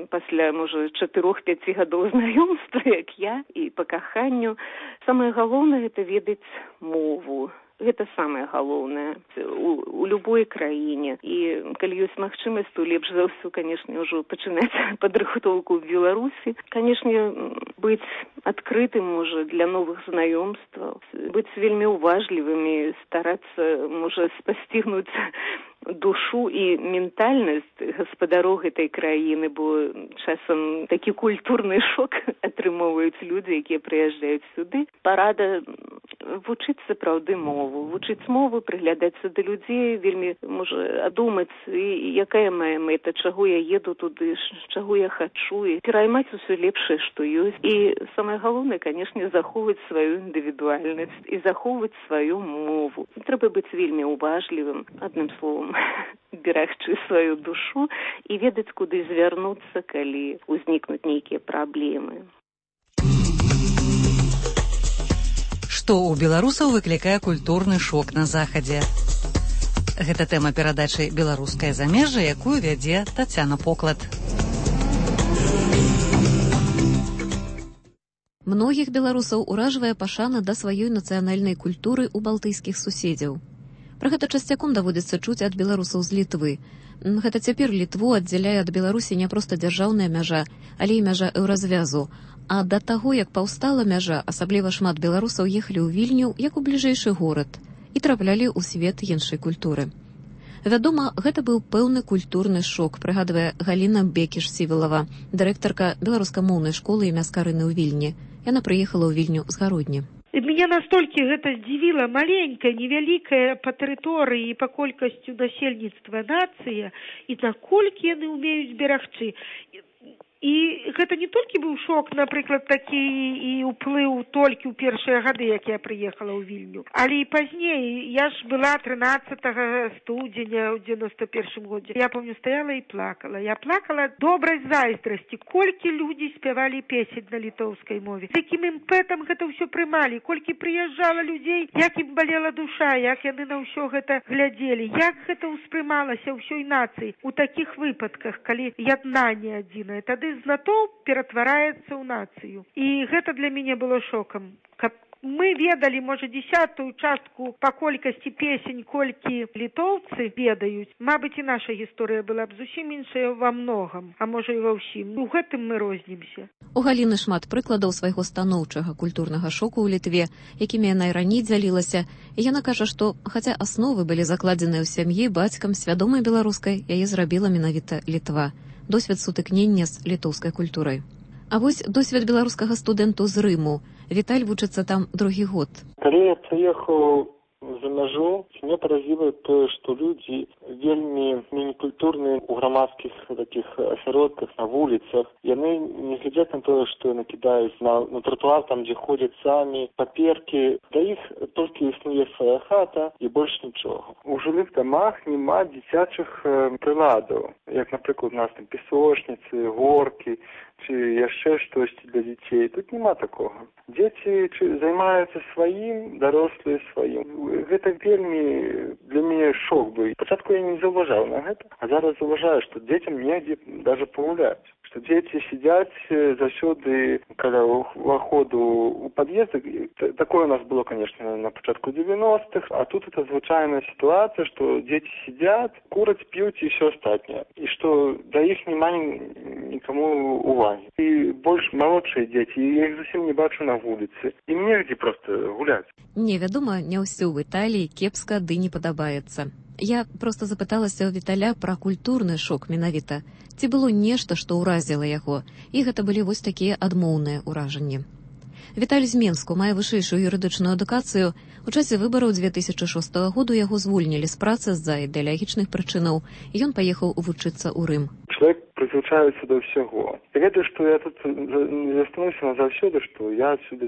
пасля, можа, 4-5 гадоў знаёмства, як я, і па каханню. Самае галоўнае – гэта ведаць мову. Гэта самае галоўнае у любой краіне. І калі ёсць магчымасць, то лепш за ўсё, канешне, ўжо пачынаць падрыхтоўку ў Беларусі. Канешне, быць адкрытым, можа, для новых знаёмстваў, быць вельмі уважлівымі, старацца, можа, спасцігнуць душу і ментальнасць гаспадароў гэтай краіны, бо часам такі культурны шок атрымоўваюць людзі, якія прыязджаюць сюды. Парада вучыць сапраўды мову. Вучыць мову, прыглядацца да людзей, вельмі, можа, адумаць, якая мая мэта, чаго я еду туды, чаго я хачу, і пераймаць усё лепшае, што ёсць. І самае галоўнае, канешне, захоўваць сваю індывідуальнасць і захоўваць сваю мову. Трэба быць вельмі уважлівым, адным словам, берагчы сваю душу і ведаць, куды звярнуцца, калі ўзнікнуць нейкія праблемы. Што ў беларусаў выклікае культурны шок на захадзе? Гэта тэма перадачы «Беларускае замежжа», якую вядзе Тацяна Поклад. Многіх беларусаў уражвае пашана да сваёй нацыянальнай культуры ў балтыйскіх суседзяў. Пра гэта часцяком даводзіцца чуць ад беларусаў з Літвы. Гэта цяпер Літву аддзяляе ад Беларусі не проста дзяржаўная мяжа, але і мяжа еўразвязу. А да таго, як паўстала мяжа, асабліва шмат беларусаў ехалі ў Вільню як у бліжэйшы горад і траплялі ў свет іншай культуры. Вядома, гэта быў пэўны культурны шок, прыгадвае Галіна Бекіш-Сівілава, дырэктарка беларускамоўнай школы імя Скарыны ў Вільні. Яна прыехала ў Вільню з Гародні. Меня настолько это здзівіла, маленькая, невялікая па тэрыторыі і па колькасцю насельніцтва нацыя, і наколькі яны ўмеюць берагчы. І гэта не толькі быў шок, напрыклад, такі і ўплыў толькі ў першыя гады, як я прыехала ў Вільню. Але і пазней, я ж была 13 студзеня ў 91 годзе. Я помню, стаяла і плакала. Я плакала добрай зайздрасці, колькі людзі спявалі песень на літоўскай мове. З якім імпэтам гэта ўсё прымалі, колькі прыязджала людзей, як ім балела душа, як яны на ўсё гэта глядзелі, як гэта ўспрымалася ўсёй нацыі. У такіх выпадках, калі яднанне адзінае, тады знатоў ператвараецца ў нацыю. І гэта для мяне было шокам. Каб мы ведалі, можа, 10-ю частку па колькасці песень, колькі літоўцы ведаюць, мабыць, і наша гісторыя была б зусім іншая ва многам, а можа і ва ўсім. У гэтым мы рознімся. У Галіны шмат прыкладаў свайго станоўчага культурнага шоку ў Літве, якімі яна і раней дзялілася. І яна кажа, што, хаця асновы былі закладзеныя ў сям'і, бацькам, свядомай беларускай, яе зрабіла менавіта Літва. Досвед сутыкнення з літоўскай культурай. А вось досвед беларускага студэнту з Рыму. Віталь вучыцца там другі год. Калі я прыехаў за мяжу, меня паразіла тое, што людзі вельмі мінікультурныя ў грамадскіх такіх асяродках, на вуліцах. Яны не глядзяць на тое, што накідаюць на тротуар, там, дзе ходзяць самі, паперкі. Да іх толькі існуе свая хата і больш нічога. У жылых дамах няма дзіцячых прыладаў, як, напрыклад, у нас там песочніцы, горкі, ці яшчэ штосьці для дзяцей. Тут няма такога. Дзеці займаюцца сваім, дарослыя сваім. Гэта вельмі для мяне шок быў. Спачатку я не заўважаў на гэта, а зараз заўважаю, што дзецям негдзе даже пагуляць. Што дзеці сядзяць заўсёды каля ўваходу ў пад'езд. Такое у нас было, конечно, на пачатку 90-х, а тут это звычайная сітуацыя, што дзеці сядзяць, кураць, п'юць і ўсё астатняе. І што да іх няма нікому увагі. І больш малодшыя дзеці, я іх зусім не бачу на вуліцы. Ім негдзе проста гуляць. Не, вядома, не ўсё ў Італіі кепска ды не падабаецца. Я проста запыталася ў Віталя пра культурны шок менавіта. Ці было нешта, што ўразіла яго? І гэта былі вось такія адмоўныя ўражанні. Віталь з Менску мае вышэйшую юрыдычную адукацыю. У часе выбараў 2006 году яго звольнілі з працы з-за ідэалагічных прычынаў, і ён паехаў вучыцца ў Рым. Чалавек прызвычаецца да ўсяго. Я ведаю, што я тут не застануся назаўсёды, што я адсюды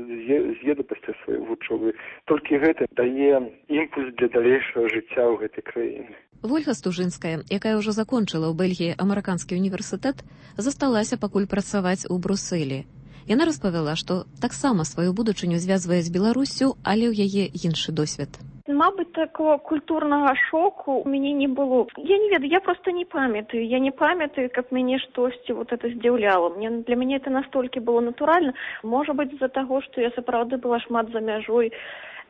з'еду пасля сваёй вучобы. Толькі гэта дае імпульс для далейшага жыцця ў гэтай краіне. Вольга Стужынская, якая ўжо закончыла ў Бельгіі амерыканскі універсітэт, засталася пакуль працаваць у Брусэлі. Яна распавяла, што таксама сваю будучыню звязвае з Беларуссю, але ў яе іншы досвед. Мабыць, такого культурнага шоку у мяне не было. Я не ведаю, я просто не памятаю. Я не памятаю, каб мяне штосьці вот это здзіўляла. Для мяне это настолькі было натуральна. Можа быць, з-за таго, што я сапраўды была шмат за мяжой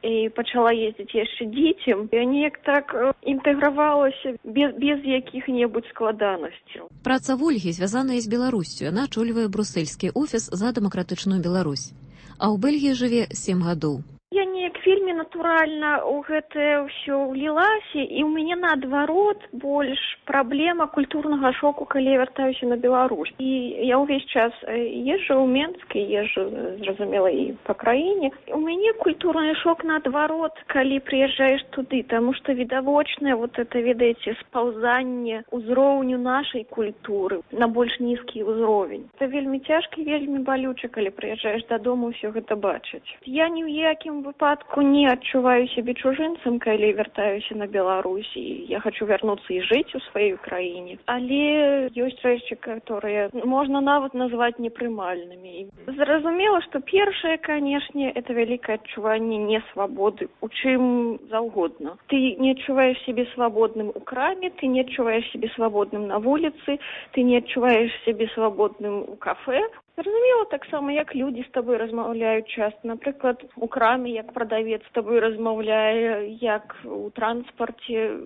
і пачала ездзіць яшчэ дзіцем. Я неяк так інтэгравалася без якіх-небудзь складанасцяў. Праца Вольгі звязаная з Беларуссю. Яна ачольвае брусельскі офіс за дэмакратычную Беларусь. А ў Бельгіі жыве 7 гадоў. Я неяк вельмі натуральна ў гэтае ўсё ўлілася, і ў мяне наадварот больш праблема культурнага шоку, калі я вяртаюся на Беларусь. І я ўвесь час езджу ў Менск, езджу, зразумела, і па краіне. У мяне культурны шок наадварот, калі прыязджаеш туды, таму што відавочнае вот это, ведаеце, спаўзанне ўзроўню нашай культуры на больш нізкі ўзровень. Это вельмі цяжка і вельмі балюча, калі прыязджаеш дадому ўсё гэта бачыць. Я ні ў якім выпадку выпадку не адчуваю сябе чужынцам, калі вяртаюся на Беларусь, і я хочу вярнуцца і жыць у сваёй краіне. Але ёсць рэчы, которые можна нават назваць непрымальнымі. Зразумела, што першае, канешне, это вялікае адчуванне несвабоды, у чым заўгодна. Ты не адчуваеш сябе свабодным у краме, ты не адчуваеш сябе свабодным на вуліцы, ты не адчуваеш сябе свабодным у кафе. Зразумела, таксама, як людзі з табой размаўляюць часта. Напрыклад, у краме, як прадавец з табой размаўляе, як у транспарце.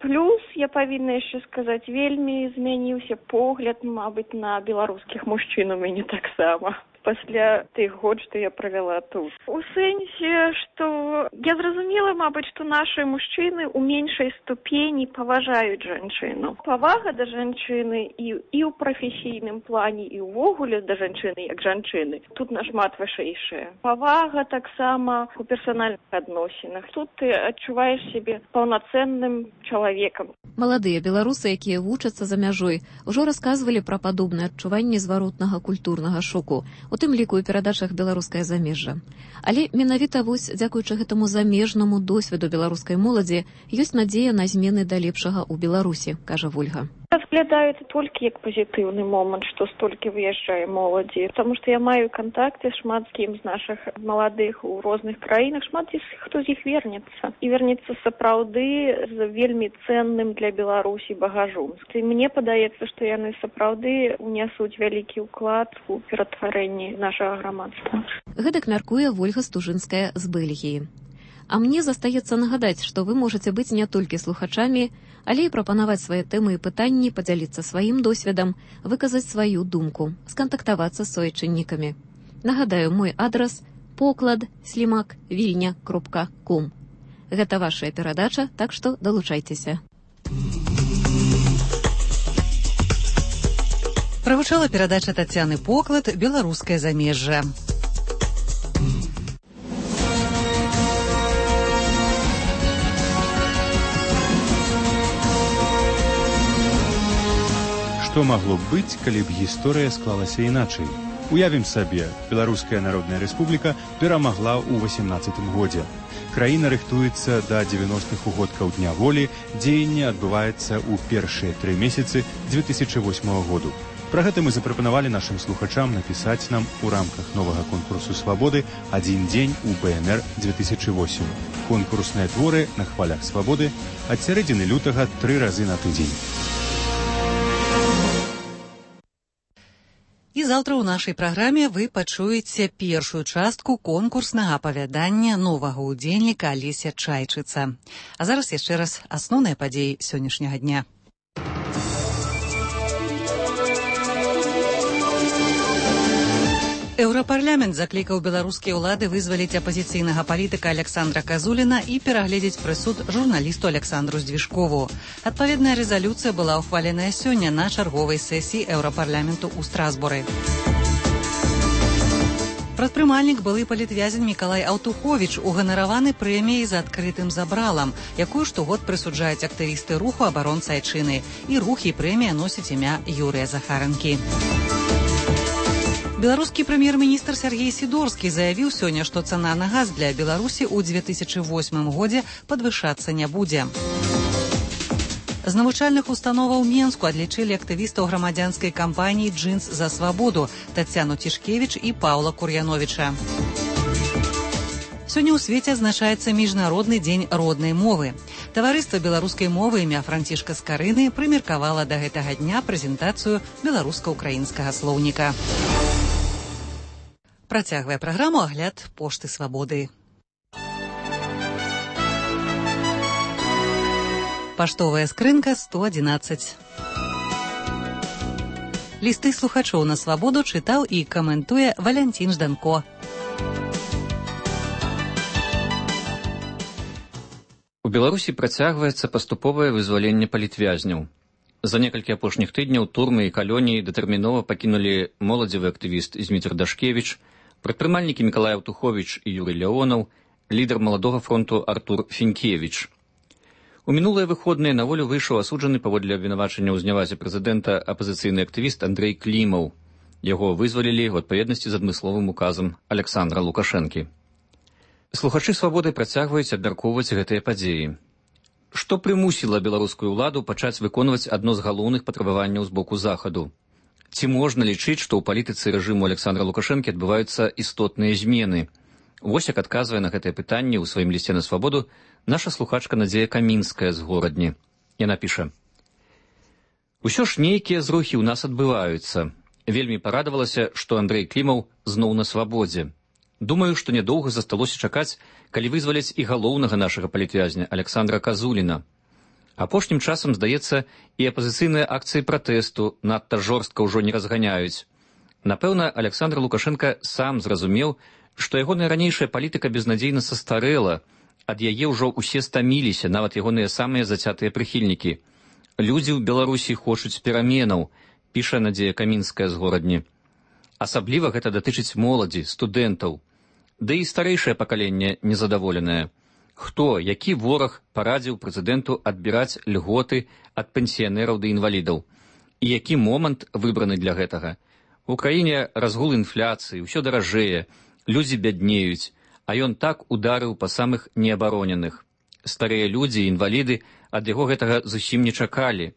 Плюс, я павінна яшчэ сказаць, вельмі змяніўся погляд, мабыць, на беларускіх мужчын у мяне таксама. Пасля тых год, што я правяла тут. У сэнсе, што я зразумела, мабыць, што нашы мужчыны ў меншай ступені паважаюць жанчыну. Павага да жанчыны і ў прафесійным плане, і ўвогуле да жанчыны як жанчыны тут нашмат вышэйшая. Павага таксама у персанальных адносінах. Тут ты адчуваеш сябе паўнацэнным чалавекам. Маладыя беларусы, якія вучацца за мяжой, ужо расказвалі пра падобнае адчуванне зваротнага культурнага шоку, у тым ліку і перадачах «Беларускае замежжа». Але менавіта вось дзякуючы гэтаму замежнаму досведу беларускай моладзі ёсць надзея на змены да лепшага ў Беларусі, кажа Вольга. Разглядаю это толькі як пазітыўны момант, што столькі выязджае моладзі, таму што я маю кантакты шмат з кім з нашых маладых у розных краінах, шмат хто з іх вернецца. І вернецца сапраўды з вельмі ценным для Беларусі багажом. І мне падаецца, што яны сапраўды унясуць вялікі ўклад у ператварэнні нашага грамадства. Гэтак мяркуе Вольга Стужынская з Бельгіі. А мне застаецца нагадаць, што вы можаце быць не толькі слухачамі, але і прапанаваць свае тэмы і пытанні, падзяліцца сваім досведам, выказаць сваю думку, скантактавацца з суайчыннікамі. Нагадаю, мой адрас poklad@vilnya.com. Гэта вашая перадача, так што далучайцеся. Правучала перадача Тацяны Поклад «Беларускае замежжа». Што магло б быць, калі б гісторыя склалася іначай? Уявім сабе, Беларуская Народная Рэспубліка перамагла ў 18-м годзе. Краіна рыхтуецца да 90-х угодкаў Дня волі, дзеянне адбываецца ў першыя 3 месяцы 2008 году. Пра гэта мы запрапанавалі нашым слухачам напісаць нам у рамках новага конкурсу свабоды «Адзін дзень у БНР 2008». Конкурсныя творы на хвалях свабоды ад сярэдзіны лютага 3 разы на тыдзень. І заўтра ў нашай праграме вы пачуеце першую частку конкурснага апавядання новага ўдзельніка Алеся Чайчыца. А зараз яшчэ раз асноўныя падзеі сённяшняга дня. Еўрапарламент заклікаў беларускія ўлады вызваліць апазіцыйнага палітыка Александра Казуліна і перагледзець прысуд журналісту Александру Здвижкову. Адпаведная рэзалюцыя была ўхваленая сёння на чарговай сесіі Еўрапарламенту ў Страсбуры. Прадпрымальнік былы палітвязень Мікалай Аўтуховіч уганараваны прэміяй за адкрытым забралам, якую штогод прысуджаюць актывісты руху абаронцы айчыны. І рух і прэмія носіць імя Юрыя Захаранкі. Беларускі прэм'ер-міністр Сергей Сідорскі заявіў сёння, што цана на газ для Беларусі ў 2008 годзе падвышацца не будзе. З навучальных установаў Менску адлічылі актывістаў грамадзянскай кампаніі «Джинс за свабоду» Тацяну Тішкевіч і Паўла Кур'яновіча. Сёння ў свеце адзначаецца Міжнародны дзень роднай мовы. Таварыства беларускай мовы імя Францішка Скарыны прымеркавала да гэтага дня прэзентацыю беларуска-украінскага слоўніка. Працягвае праграму агляд пошты свабоды. Паштовая скрынка 111. Лісты слухачоў на свабоду чытаў і каментуе Валянцін Жданко. У Беларусі працягваецца паступовае вызваленне палітвязняў. За некалькі апошніх тыдняў турмы і калоніі датэрмінова пакінулі моладзевы актывіст Зміцер Дашкевіч, прадпрымальнікі Мікалай Аўтуховіч і Юрый Леонаў, лідар маладога фронту Артур Фінкевіч. У мінулыя выходныя на волю выйшаў асуджаны паводле абвінавачання ў знявазе прэзідэнта апазіцыйны актывіст Андрэй Клімаў. Яго вызвалілі ў адпаведнасці з адмысловым указам Александра Лукашэнкі. Слухачы свабоды працягваюць абмяркоўваць гэтыя падзеі. Што прымусіла беларускую ўладу пачаць выконваць адно з галоўных патрабаванняў з боку захаду? Ці можна лічыць, што ў палітыцы рэжыму Александра Лукашэнкі адбываюцца істотныя змены? Вось як адказвае на гэтае пытанне ў сваім лісце на свабоду наша слухачка Надзея Камінская з Горадні. Яна піша: «Усё ж нейкія зрухі ў нас адбываюцца. Вельмі парадавалася, што Андрэй Клімаў зноў на свабодзе. Думаю, што нядоўга засталося чакаць, калі вызваляць і галоўнага нашага палітвязня Александра Казуліна. Апошнім часам, здаецца, і апазіцыйныя акцыі пратэсту надта жорстка ўжо не разганяюць. Напэўна, Александр Лукашенка сам зразумеў, што ягоная ранейшая палітыка безнадзейна састарэла, ад яе ўжо ўсе стаміліся, нават ягоныя самыя зацятыя прыхільнікі. Людзі ў Беларусі хочуць пераменаў», піша Надзея Камінская з Горадні. Асабліва гэта датычыць моладзі, студэнтаў. Да і старэйшае пакаленне незадаволенае. Хто, які вораг парадзіў прэзідэнту адбіраць льготы ад пенсіянераў ды інвалідаў? І які момант выбраны для гэтага? У краіне разгул інфляцыі, ўсё даражэе, людзі бяднеюць, а ён так ударыў па самых неабароненых. Старыя людзі, інваліды ад яго гэтага зусім не чакалі.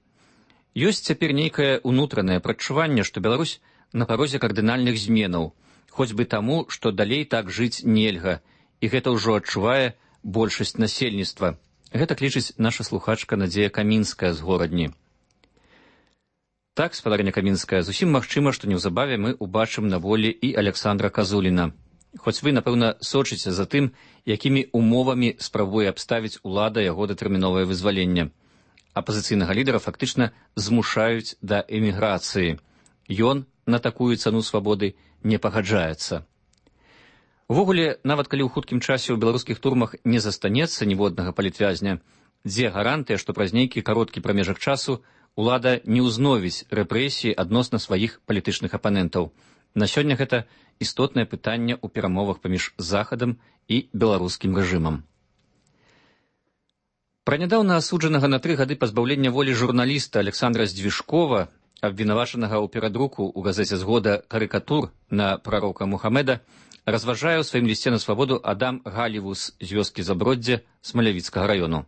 Ёсць цяпер нейкае ўнутранае прадчуванне, што Беларусь на парозе кардынальных зменаў, хоць бы таму, што далей так жыць нельга, і гэта ўжо адчувае большасць насельніцтва. Гэта лічыць наша слухачка Надзея Камінская з Горадні. Так, спадарня Камінская, зусім магчыма, што неўзабаве мы ўбачым на волі і Александра Казуліна. Хоць вы, напэўна, сочыце за тым, якімі умовамі спрабуе абставіць улада яго датэрміновае вызваленне. Апазіцыйнага лідара фактычна змушаюць да эміграцыі. Ён на такую цану свабоды не пагаджаецца. Увогуле, нават калі ў хуткім часе ў беларускіх турмах не застанецца ніводнага палітвязня, дзе гарантыя, што праз нейкі кароткі прамежак часу улада не ўзновіць рэпрэсіі адносна сваіх палітычных апанентаў. На сёння гэта істотнае пытанне ў перамовах паміж Захадам і беларускім рэжымам. Пра нядаўна асуджанага на 3 гады пазбаўлення волі журналіста Александра Здвижкова, абвінавачанага ў перадруку ў газеце «Згода» карыкатур на прарока Мухаммеда, разважае ў сваім лісце на свабоду Адам Галівус з вёскі Заброддзе Смалявіцкага раёну.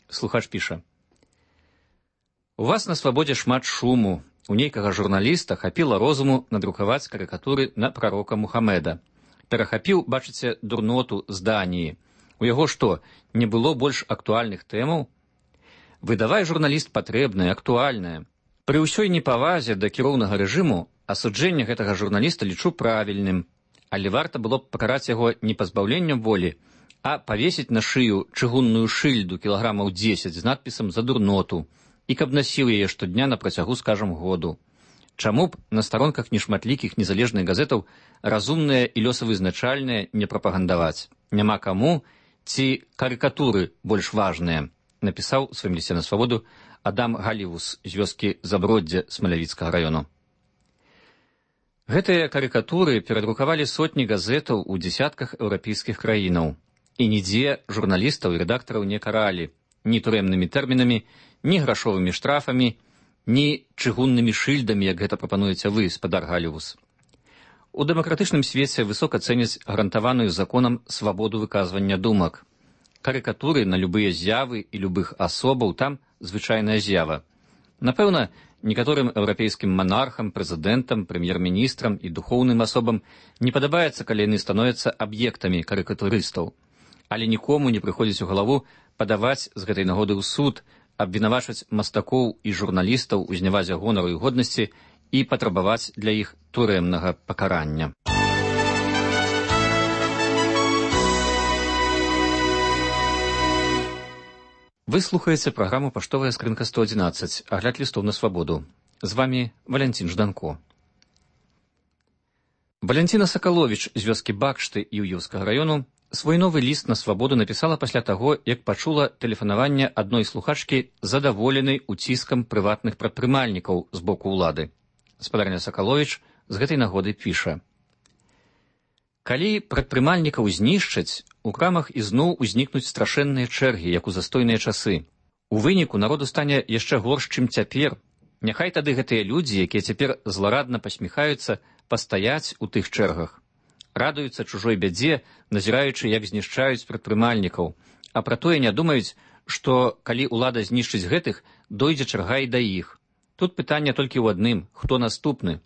Слухач піша: «У вас на свабодзе шмат шуму. У нейкага журналіста хапіла розуму надрукаваць карыкатуры на прарока Мухаммеда. Перахапіў, бачыце, дурноту з Даніі. У яго што, не было больш актуальных тэмаў? Выдавай, журналіст, патрэбнае, актуальнае. Пры ўсёй непавазе да кіроўнага рэжыму асуджэнне гэтага журналіста лічу правільным, але варта было б пакараць яго не пазбаўленнем волі, а павесіць на шыю чыгунную шыльду кілаграмаў 10 з надпісам «За дурноту» і каб насіў яе штодня на працягу, скажам, году. Чаму б на старонках нешматлікіх незалежных газетаў разумныя і лёсавызначальныя не прапагандаваць? Няма каму, ці карыкатуры больш важныя, напісаў у сваім лісце на свабоду Адам Галівус з вёскі Заброддзе Смалявіцкага раёну. Гэтыя карыкатуры перадрукавалі сотні газетаў у дзесятках еўрапейскіх краінаў. І нідзе журналістаў і рэдактараў не каралі ні турэмнымі тэрмінамі, ні грашовымі штрафамі, ні чыгуннымі шыльдамі, як гэта прапануеце вы, спадар Галівус. У дэмакратычным свеце высока цэняць гарантаваную законам свабоду выказвання думак. Карыкатуры на любыя з'явы і любых асобаў там звычайная з'ява. Напэўна, некаторым еўрапейскім манархам, прэзідэнтам, прэм'ер-міністрам і духоўным асобам не падабаецца, калі яны становяцца аб'ектамі карыкатурыстаў. Але нікому не прыходзіць у галаву падаваць з гэтай нагоды ў суд, абвінавачваць мастакоў і журналістаў у знявазе гонару і годнасці і патрабаваць для іх турэмнага пакарання. Вы слухаеце праграму «Паштовая скрынка 111», агляд лістоў на свабоду. З вамі Валянцін Жданко. Валянціна Сакаловіч з вёскі Бакшты Юўёўскага раёну свой новы ліст на свабоду напісала пасля таго, як пачула тэлефанаванне адной слухачкі, задаволенай уціскам прыватных прадпрымальнікаў з боку ўлады. Спадарня Сакаловіч з гэтай нагоды піша: «Калі прадпрымальнікаў знішчаць, у крамах ізноў узнікнуць страшэнныя чэргі, як у застойныя часы. У выніку народу стане яшчэ горш, чым цяпер. Няхай тады гэтыя людзі, якія цяпер зларадна пасміхаюцца, пастаяць у тых чэргах. Радуюцца чужой бядзе, назіраючы, як знішчаюць прадпрымальнікаў, а пра тое не думаюць, што калі ўлада знішчыць гэтых, дойдзе чарга і да іх. Тут пытанне толькі ў адным, хто наступны.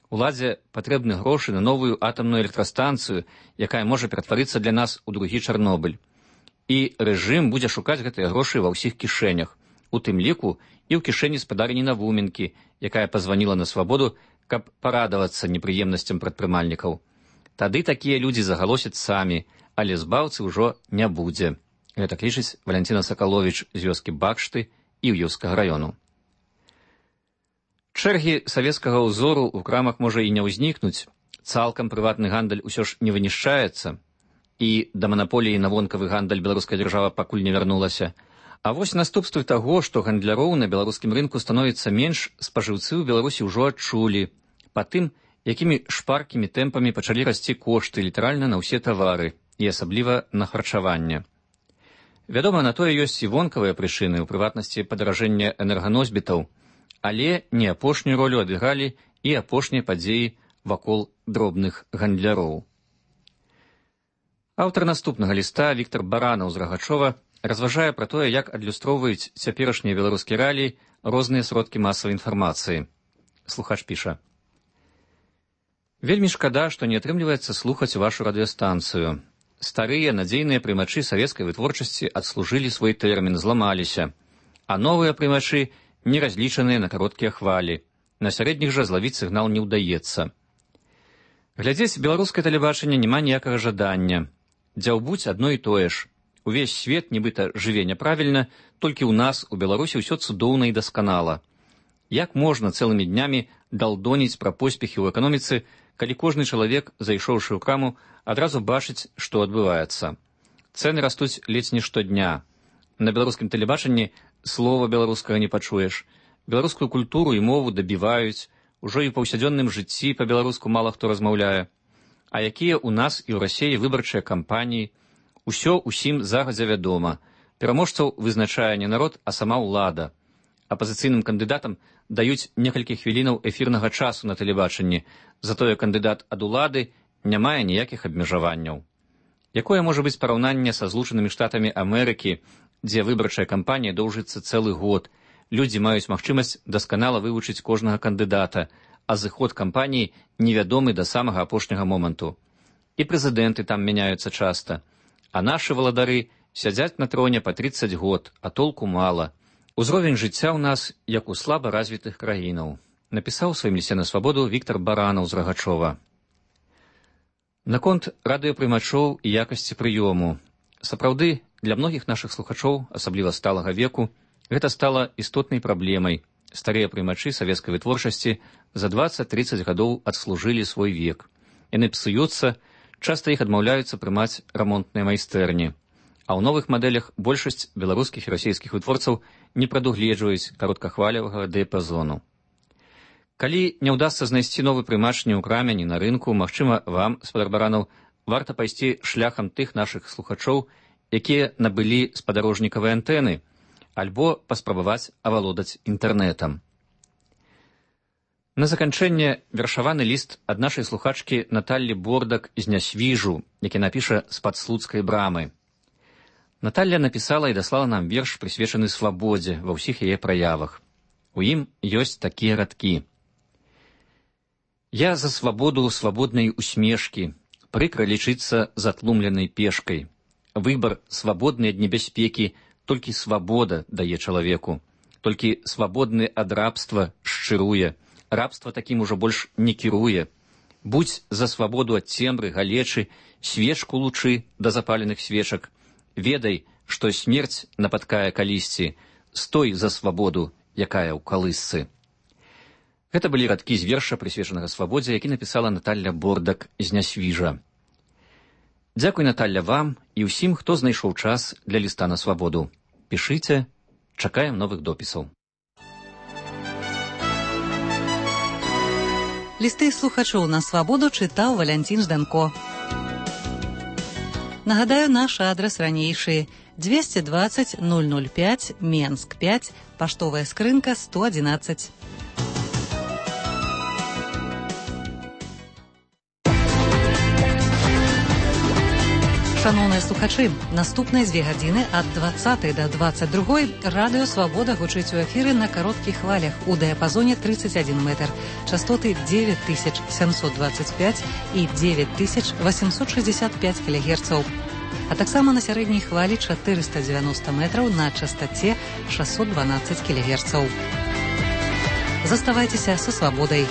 Уладзе патрэбны грошы на новую атамную электрастанцыю, якая можа ператварыцца для нас у другі Чарнобыль. І рэжым будзе шукаць гэтыя грошы ва ўсіх кішэнях, у тым ліку і ў кішэні спадарні Навуменкі, якая пазваніла на свабоду, каб парадавацца непрыемнасцям прадпрымальнікаў. Тады такія людзі загалосяць самі, але збаўцы ўжо не будзе. Гэта лічыць Валянціна Сакаловіч з вёскі Бакшты і Іўскага раёну. Чэргі савецкага ўзору ў крамах можа і не ўзнікнуць, цалкам прыватны гандаль усё ж не вынішчаецца, і да манаполіі на вонкавы гандаль беларуская дзяржава пакуль не вярнулася. А вось наступствы таго, што гандляроў на беларускім рынку становіцца менш, спажыўцы ў Беларусі ўжо адчулі, па тым, якімі шпаркімі тэмпамі пачалі расці кошты літаральна на ўсе тавары, і асабліва на харчаванне. Вядома, на тое ёсць і вонкавыя прычыны, у прыватнасці падаражэння энерганосьбітаў, але не апошнюю ролю адыгралі і апошнія падзеі вакол дробных гандляроў. Аўтар наступнага ліста Віктар Баранаў з Рагачова разважае пра тое, як адлюстроўваюць цяперашнія беларускія рэаліі розныя сродкі масавай інфармацыі. Слухач піша: «Вельмі шкада, што не атрымліваецца слухаць вашу радыёстанцыю. Старыя надзейныя прымачы савецкай вытворчасці адслужылі свой тэрмін, зламаліся, а новыя прымачы не разлічаныя на кароткія хвалі. На сярэдніх жа злавіць сігнал не ўдаецца. Глядзець беларускае тэлебачанне няма ніякага жадання. Дзяўбуць адно і тое ж. Увесь свет нібыта жыве няправільна, толькі ў нас, у Беларусі, ўсё цудоўна і дасканала. Як можна цэлымі днямі далдоніць пра поспехі ў эканоміцы, калі кожны чалавек, зайшоўшы ў краму, адразу бачыць, што адбываецца? Цэны растуць ледзь не штодня. На беларускім тэлебачанні слова беларускага не пачуеш. Беларускую культуру і мову дабіваюць, ужо і ў паўсядзённым жыцці па-беларуску мала хто размаўляе. А якія ў нас і ў Расіі выбарчыя кампаніі? Усё усім загадзя вядома. Пераможцаў вызначае не народ, а сама ўлада. Апазіцыйным кандыдатам даюць некалькі хвілінаў эфірнага часу на тэлебачанні, затое кандыдат ад улады не мае ніякіх абмежаванняў. Якое можа быць параўнанне са Злучанымі Штатамі Амерыкі, дзе выбарчая кампанія доўжыцца цэлы год, людзі маюць магчымасць дасканала вывучыць кожнага кандыдата, а зыход кампаніі невядомы да самага апошняга моманту. І прэзідэнты там мяняюцца часта, а нашы валадары сядзяць на троне па 30 год, а толку мала. Узровень жыцця ў нас, як у слаба развітых краінаў, напісаў у сваім лісце на свабоду Віктар Баранаў з Рагачова. Наконт радыёпрымачоў і якасці прыёму. Сапраўды, для многіх нашых слухачоў, асабліва сталага веку, гэта стала істотнай праблемай. Старыя прымачы савецкай вытворчасці за 20-30 гадоў адслужылі свой век. Яны псуюцца, часта іх адмаўляюцца прымаць рамонтныя майстэрні. А ў новых мадэлях большасць беларускіх і расійскіх вытворцаў не прадугледжваюць кароткахвалевага дыяпазону. Калі не ўдасца знайсці новы прымач ні ў краме, ні на рынку, магчыма, вам, спадар Баранаў, варта пайсці шляхам тых нашых слухачоў, якія набылі спадарожнікавыя антэны, альбо паспрабаваць авалодаць інтэрнэтам. На заканчэнне вершаваны ліст ад нашай слухачкі Наталлі Бордак з Нясвіжу, які напіша з-пад слуцкай брамы. Наталля напісала і даслала нам верш, прысвечаны свабодзе ва ўсіх яе праявах. У ім ёсць такія радкі. Я за свабоду свабоднай усмешкі, прыкра лічыцца затлумленай пешкай. Выбар свабодны ад небяспекі, толькі свабода дае чалавеку. Толькі свабодны ад рабства шчыруе. Рабства такім ужо больш не кіруе. Будзь за свабоду ад цемры, галечы, свечку лучы да запаленых свечак. Ведай, што смерць напаткае калісьці. Стой за свабоду, якая ў калысцы. Гэта былі радкі з верша, прысвечанага свабодзе, які напісала Наталля Бордак з Нясвіжа. Дзякуй, Наталля, вам і ўсім, хто знайшоў час для ліста на свабоду. Пішыце, чакаем новых допісаў. Лісты слухачоў на свабоду чытаў Валянцін Жданко. Нагадаю, наш адрас ранейшы: 220 005, Менск 5, паштовая скрынка 111. Шановныя слухачы, наступныя 2 гадзіны ад 20 до 22 радыё «Свабода» гучыць у эфіры на кароткіх хвалях у дыяпазоне 31 метр, частоты 9725 і 9865 кГц, а таксама на сярэдняй хвалі 490 метраў на частоце 612 кГц. Заставайцеся са «Свабодай».